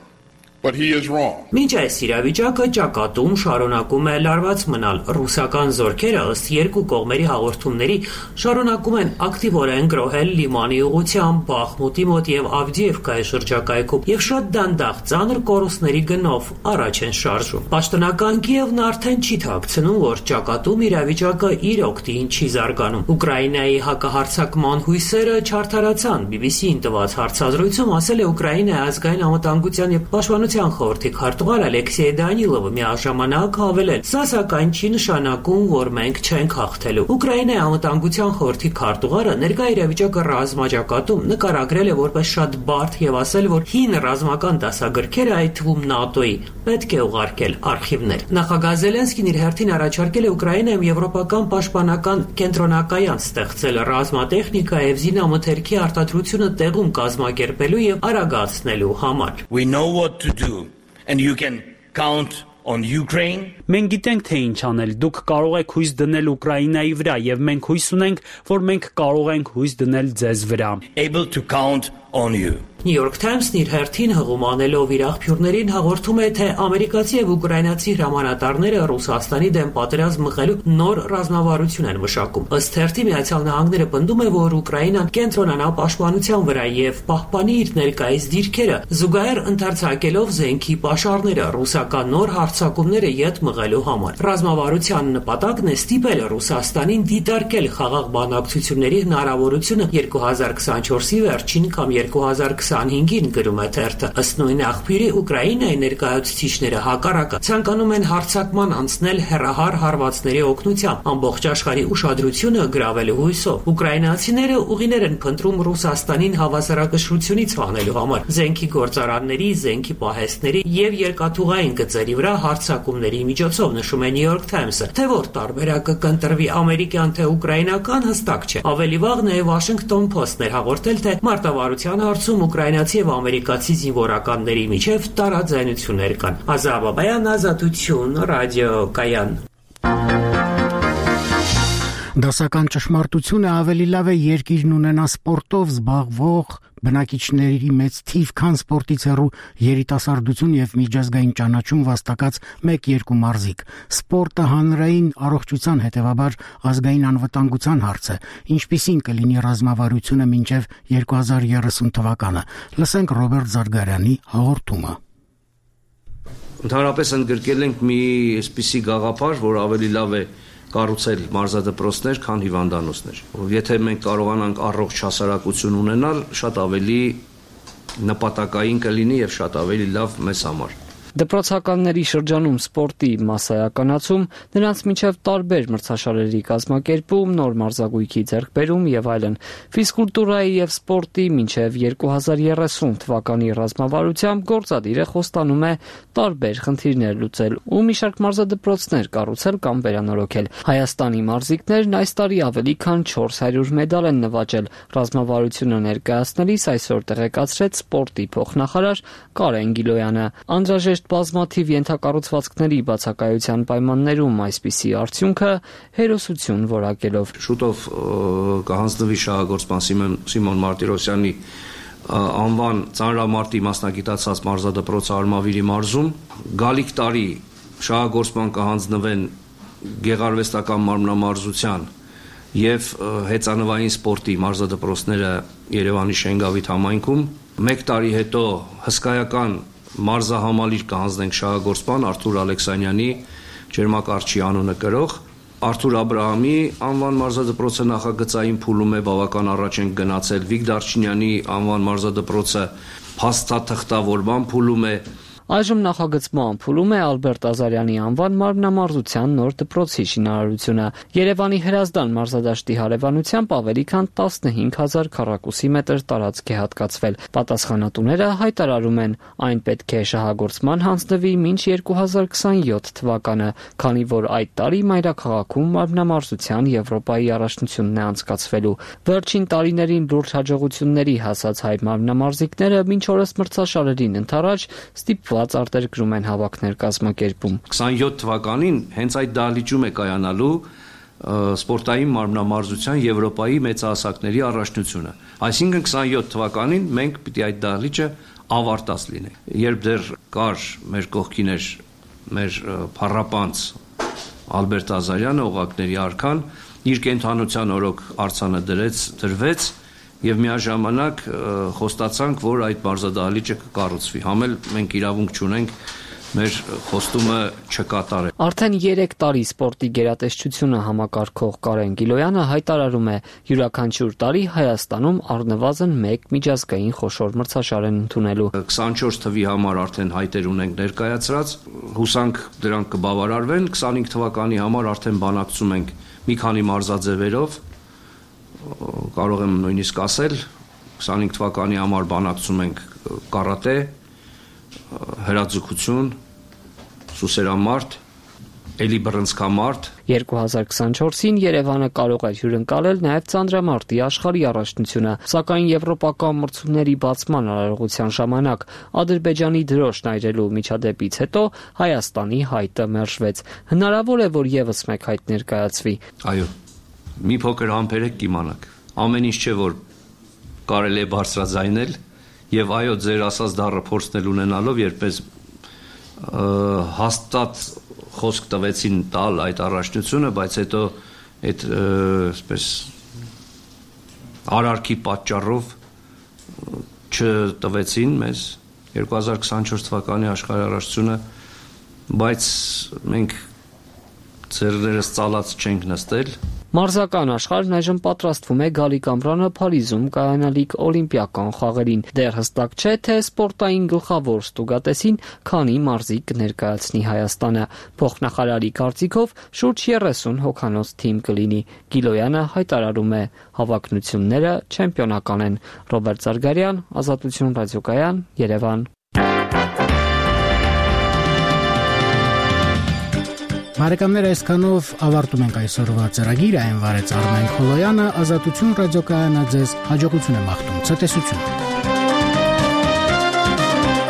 But he is wrong. Մինչ այս իրավիճակը ճակատում շարունակում է լարված մնալ։ Ռուսական զորքերը ըստ երկու կողմերի հաղորդումների շարունակում են ակտիվորեն գրոհել Լիմանի ուղղությամբ, Բախմուտի մոտ եւ Ավդիևկայի շրջակայքում եւ շատ դանդաղ ծանր կորուստների գնով առաջ են շարժում։ Պաշտոնական Կիևն արդեն չի թաքցնում, որ ճակատում իրավիճակը իր օգտին չի զարգանում։ Ուկրաինայի հակահարձակման հույսերը չարդարացան։ BBC-ին տված հարցազրույցում ասել է Ուկրաինայի ազգային անվտանգության եւ պաշտպանության անվտանգության խորհրդի քարտուղար Ալեքսեյ Դանիլովը միաժամանակ հավելել. «Սա սակայն չի նշանակում, որ մենք չենք հաղթելու»։ Ուկրաինայի անվտանգության խորհրդի քարտուղարը ներկա իրավիճակը ռազմաճակատում նկարագրել է որպես շատ բարդ եւ ասել, որ հին ռազմական դասագրքերը, այդ թվում ՆԱՏՕ-ի, պետք է ուղարկել արխիվներ։ Նախագահ Զելենսկին իր հերթին առաջարկել է Ուկրաինայում եվրոպական պաշտպանական կենտրոնակայան ստեղծել ռազմատեխնիկա եւ զինամթերքի արտադրությունը տեղում կազմակերպելու եւ արագացնելու համար։ We know what to do and you can count on Ukraine. Մենք գիտենք թե ինչ անել։ Դուք կարող եք հույս դնել Ուկրաինայի վրա եւ մենք հույս ունենք, որ մենք կարող ենք հույս դնել ձեզ վրա։ Able to count on you. New York Times-ն իր հերթին հղում անելով իր աղբյուրներին հաղորդում է, թե ամերիկացի եւ ուկրաինացի հրամանատարները Ռուսաստանի դեմ պատերազմ մղելու նոր ռազմավարություն են մշակում։ Ըստ հերթի Միացյալ Նահանգները պնդում է, որ Ուկրաինան կենտրոնանա պաշտպանության վրա եւ պահպանի իր ներկայիս դիրքերը, զուգահեռ ընդարձակելով զենքի պաշարները ռուսական նոր հարձակումները յետ մղելու համար։ Ռազմավարության նպատակն է ստիպել Ռուսաստանին դիտարկել խաղաղ բանակցությունների հնարավորությունը 2024-ի վերջին կամ 2025-ին գրում է թերթը։ Ըստ նույն աղբյուրի Ուկրաինայի ներկայացուցիչները հակառակը ցանկանում են հարձակման անցնել հեռահար հարվածների օգնությամբ ամբողջ աշխարհի ուշադրությունը գրավելու հույսով։ Ուկրաինացիները ուղիներ են փնտրում Ռուսաստանին հավասարակշռությունից հանելու համար զենքի գործարանների, զենքի պահեստների եւ երկաթուղային գծերի վրա հարձակումների միջոցով, նշում է New York Times-ը։ Թե որ տարբերակը կընտրվի ամերիկյան թե ուկրաինական հստակ չէ։ Ավելի վաղ նաեւ Washington Post-ն էր հաղորդել, թե մարտավարության հարցում ուկրաինացի եւ ամերիկացի զինվորականների միջև տարաձայնություններ կան։ Ազատ Բաբայան, Ազատություն, ռադիոկայան։ Դասական ճշմարտությունը ավելի լավ է երկիրն ունենա սպորտով զբաղվող բնակիչների մեծ թիվ, քան սպորտից հեռու երիտասարդություն եւ միջազգային ճանաչում վաստակած 1-2 մարզիկ։ Սպորտը հանրային առողջության, հետեւաբար ազգային անվտանգության հարց է, ինչպիսին կլինի ռազմավարությունը մինչեւ 2030 թվականը։ Լսենք Ռոբերտ Զարգարյանի հաղորդումը։ Ընդհանրապես ընդգրկել ենք մի այսպիսի գաղափար, որ ավելի լավ է կառուցել մարզադպրոցներ, քան հիվանդանոցներ։ Եթե մենք կարողանանք առողջ հասարակություն ունենալ, շատ ավելի նպատակային կլինի եւ շատ ավելի լավ մեզ համար։ Դպրոցականների շրջանում սպորտի մասսայականացում, նրանց միջև տարբեր մրցաշարերի կազմակերպում, նոր մարզագույքի ձեռքբերում եւ այլն։ Ֆիզկուլտուրայի եւ սպորտի մինչեւ 2030 թվականի ռազմավարությամբ գործադիրը խոստանում է տարբեր խնդիրներ լուծել ու մի շարք մարզադպրոցներ կառուցել կամ վերանորոգել։ Հայաստանի մարզիկներն այս տարի ավելի քան 400 մեդալ են նվաճել։ Ռազմավարությունը ներկայացնելիս այսօր տեղեկացրեց սպորտի փոխնախարար Կարեն Գիլոյանը։ Անհրաժեշտ բազմաթիվ ենթակառուցվածքների բացակայության պայմաններում այսպիսի արդյունքը հերոսություն որակելով։ Շուտով կհանձնվի շահագործման Սիմոն Մարտիրոսյանի անվան ծանրամարտի մասնագիտացած մարզադպրոցը Արմավիրի մարզում։ Գալիք տարի շահագործման կհանձնվեն գեղարվեստական մարմնամարզության եւ հեծանվային սպորտի մարզադպրոցները Երևանի Շենգավիթ համայնքում։ 1 տարի հետո հսկայական մարզահամալիր կհանձնենք շահագործման Արթուր Ալեքսանյանի ջերմակարգչի անունը կրող։ Արթուր Աբրահամի անվան մարզադպրոցը նախագծային փուլում է, բավական առաջ ենք գնացել։ Վիկ Դարչինյանի անվան մարզադպրոցը փաստաթղթավորման փուլում է։ Այժմ նախագծման փուլում է Ալբերտ Ազարյանի անվան մարմնամարզության նոր դպրոցի շինարարությունը։ Երևանի Հրազդան մարզադաշտի հարևանությամբ ավելի քան 15000 քառակուսի մետր տարածք է հատկացվել։ Պատասխանատուները հայտարարում են, այն պետք է շահագործման հանձնվի մինչ 2027 թվականը, քանի որ այդ տարի մայրաքաղաքում մարմնամարզության Եվրոպայի առաջնությունն է անցկացվելու։ Վերջին տարիներին լուրջ հաջողությունների հասած հայ մարմնամարզիկները մինչ օրս մրցաշարերին ընդառաջ ստիպված արտերկրում են հավաքներ կազմակերպում։ 27 թվականին հենց այդ դահլիճում է կայանալու սպորտային մարմնամարզության Եվրոպայի մեծահասակների առաջնությունը։ Այսինքն 27 թվականին մենք պիտի այդ դահլիճը ավարտած լինենք։ Երբ դեռ կար մեր կողքին էր մեր փառապանց Ալբերտ Ազարյանը, օղակների արքան, իր կենթանության օրոք արձանը դրվեց եւ միաժամանակ խոստացանք, որ այդ մարզադահլիճը կկառուցվի։ Համել մենք իրավունք չունենք մեր խոստումը չկատարել։ Արդեն 3 տարի սպորտի գերատեսչությունը համակարգող Կարեն Գիլոյանը հայտարարում է, յուրաքանչյուր տարի Հայաստանում առնվազն 1 միջազգային խոշոր մրցաշար են ընդունելու։ 24 թվի համար արդեն հայտեր ունենք ներկայացրած, հուսանք դրանք կբավարարվեն, 25 թվականի համար արդեն բանակցում ենք մի քանի մարզաձևերով, կարող եմ նույնիսկ ասել, 25 թվականի համար բանակցում ենք կարատե, հրաձգություն, սուսերամարտ, էլի բռնցքամարտ։ 2024-ին Երևանը կարող էր հյուրընկալել նաև ծանրամարտի աշխարհի առաջնությունը, սակայն եվրոպական մրցումների բացման արարողության ժամանակ Ադրբեջանի դրոշն այրելու միջադեպից հետո Հայաստանի հայտը մերժվեց։ Հնարավոր է, որ եւս մեկ հայտ ներկայացվի։ Այո, մի փոքր համբերեք կիմանաք։ Ամեն ինչ չէ, որ կարելի է բարձրաձայնել, եւ այո, ձեր ասած դառը փորձնել ունենալով, երբես հաստատ խոսք տվեցին տալ այդ առաջնությունը, բայց հետո այդ այսպես արարքի պատճառով չտվեցին մեզ 2024 թվականի աշխարհի առաջնությունը, բայց մենք ձեռներս ծալած չենք նստել։ Մարզական աշխարհն այժմ պատրաստվում է գալիք ամռանը Փարիզում կայանալիք օլիմպիական խաղերին։ Դեռ հստակ չէ, թե սպորտային գլխավոր ստուգատեսին քանի մարզիկ կներկայացնի Հայաստանը։ Փոխնախարարի կարծիքով շուրջ 30 հոգանոց թիմ կլինի։ Գիլոյանը հայտարարում է, հավաքնությունները չեմպիոնական են։ Ռոբերտ Զարգարյան, Ազատություն ռադիոկայան, Երևան։ Բարեկամներ, այսքանով ավարտում ենք այսօրվա ծրագիրը, այն վարեց Արմեն Խոլոյանը, Ազատություն ռադիոկայանը ձեզ հաջողություն է մաղթում, ցտեսություն։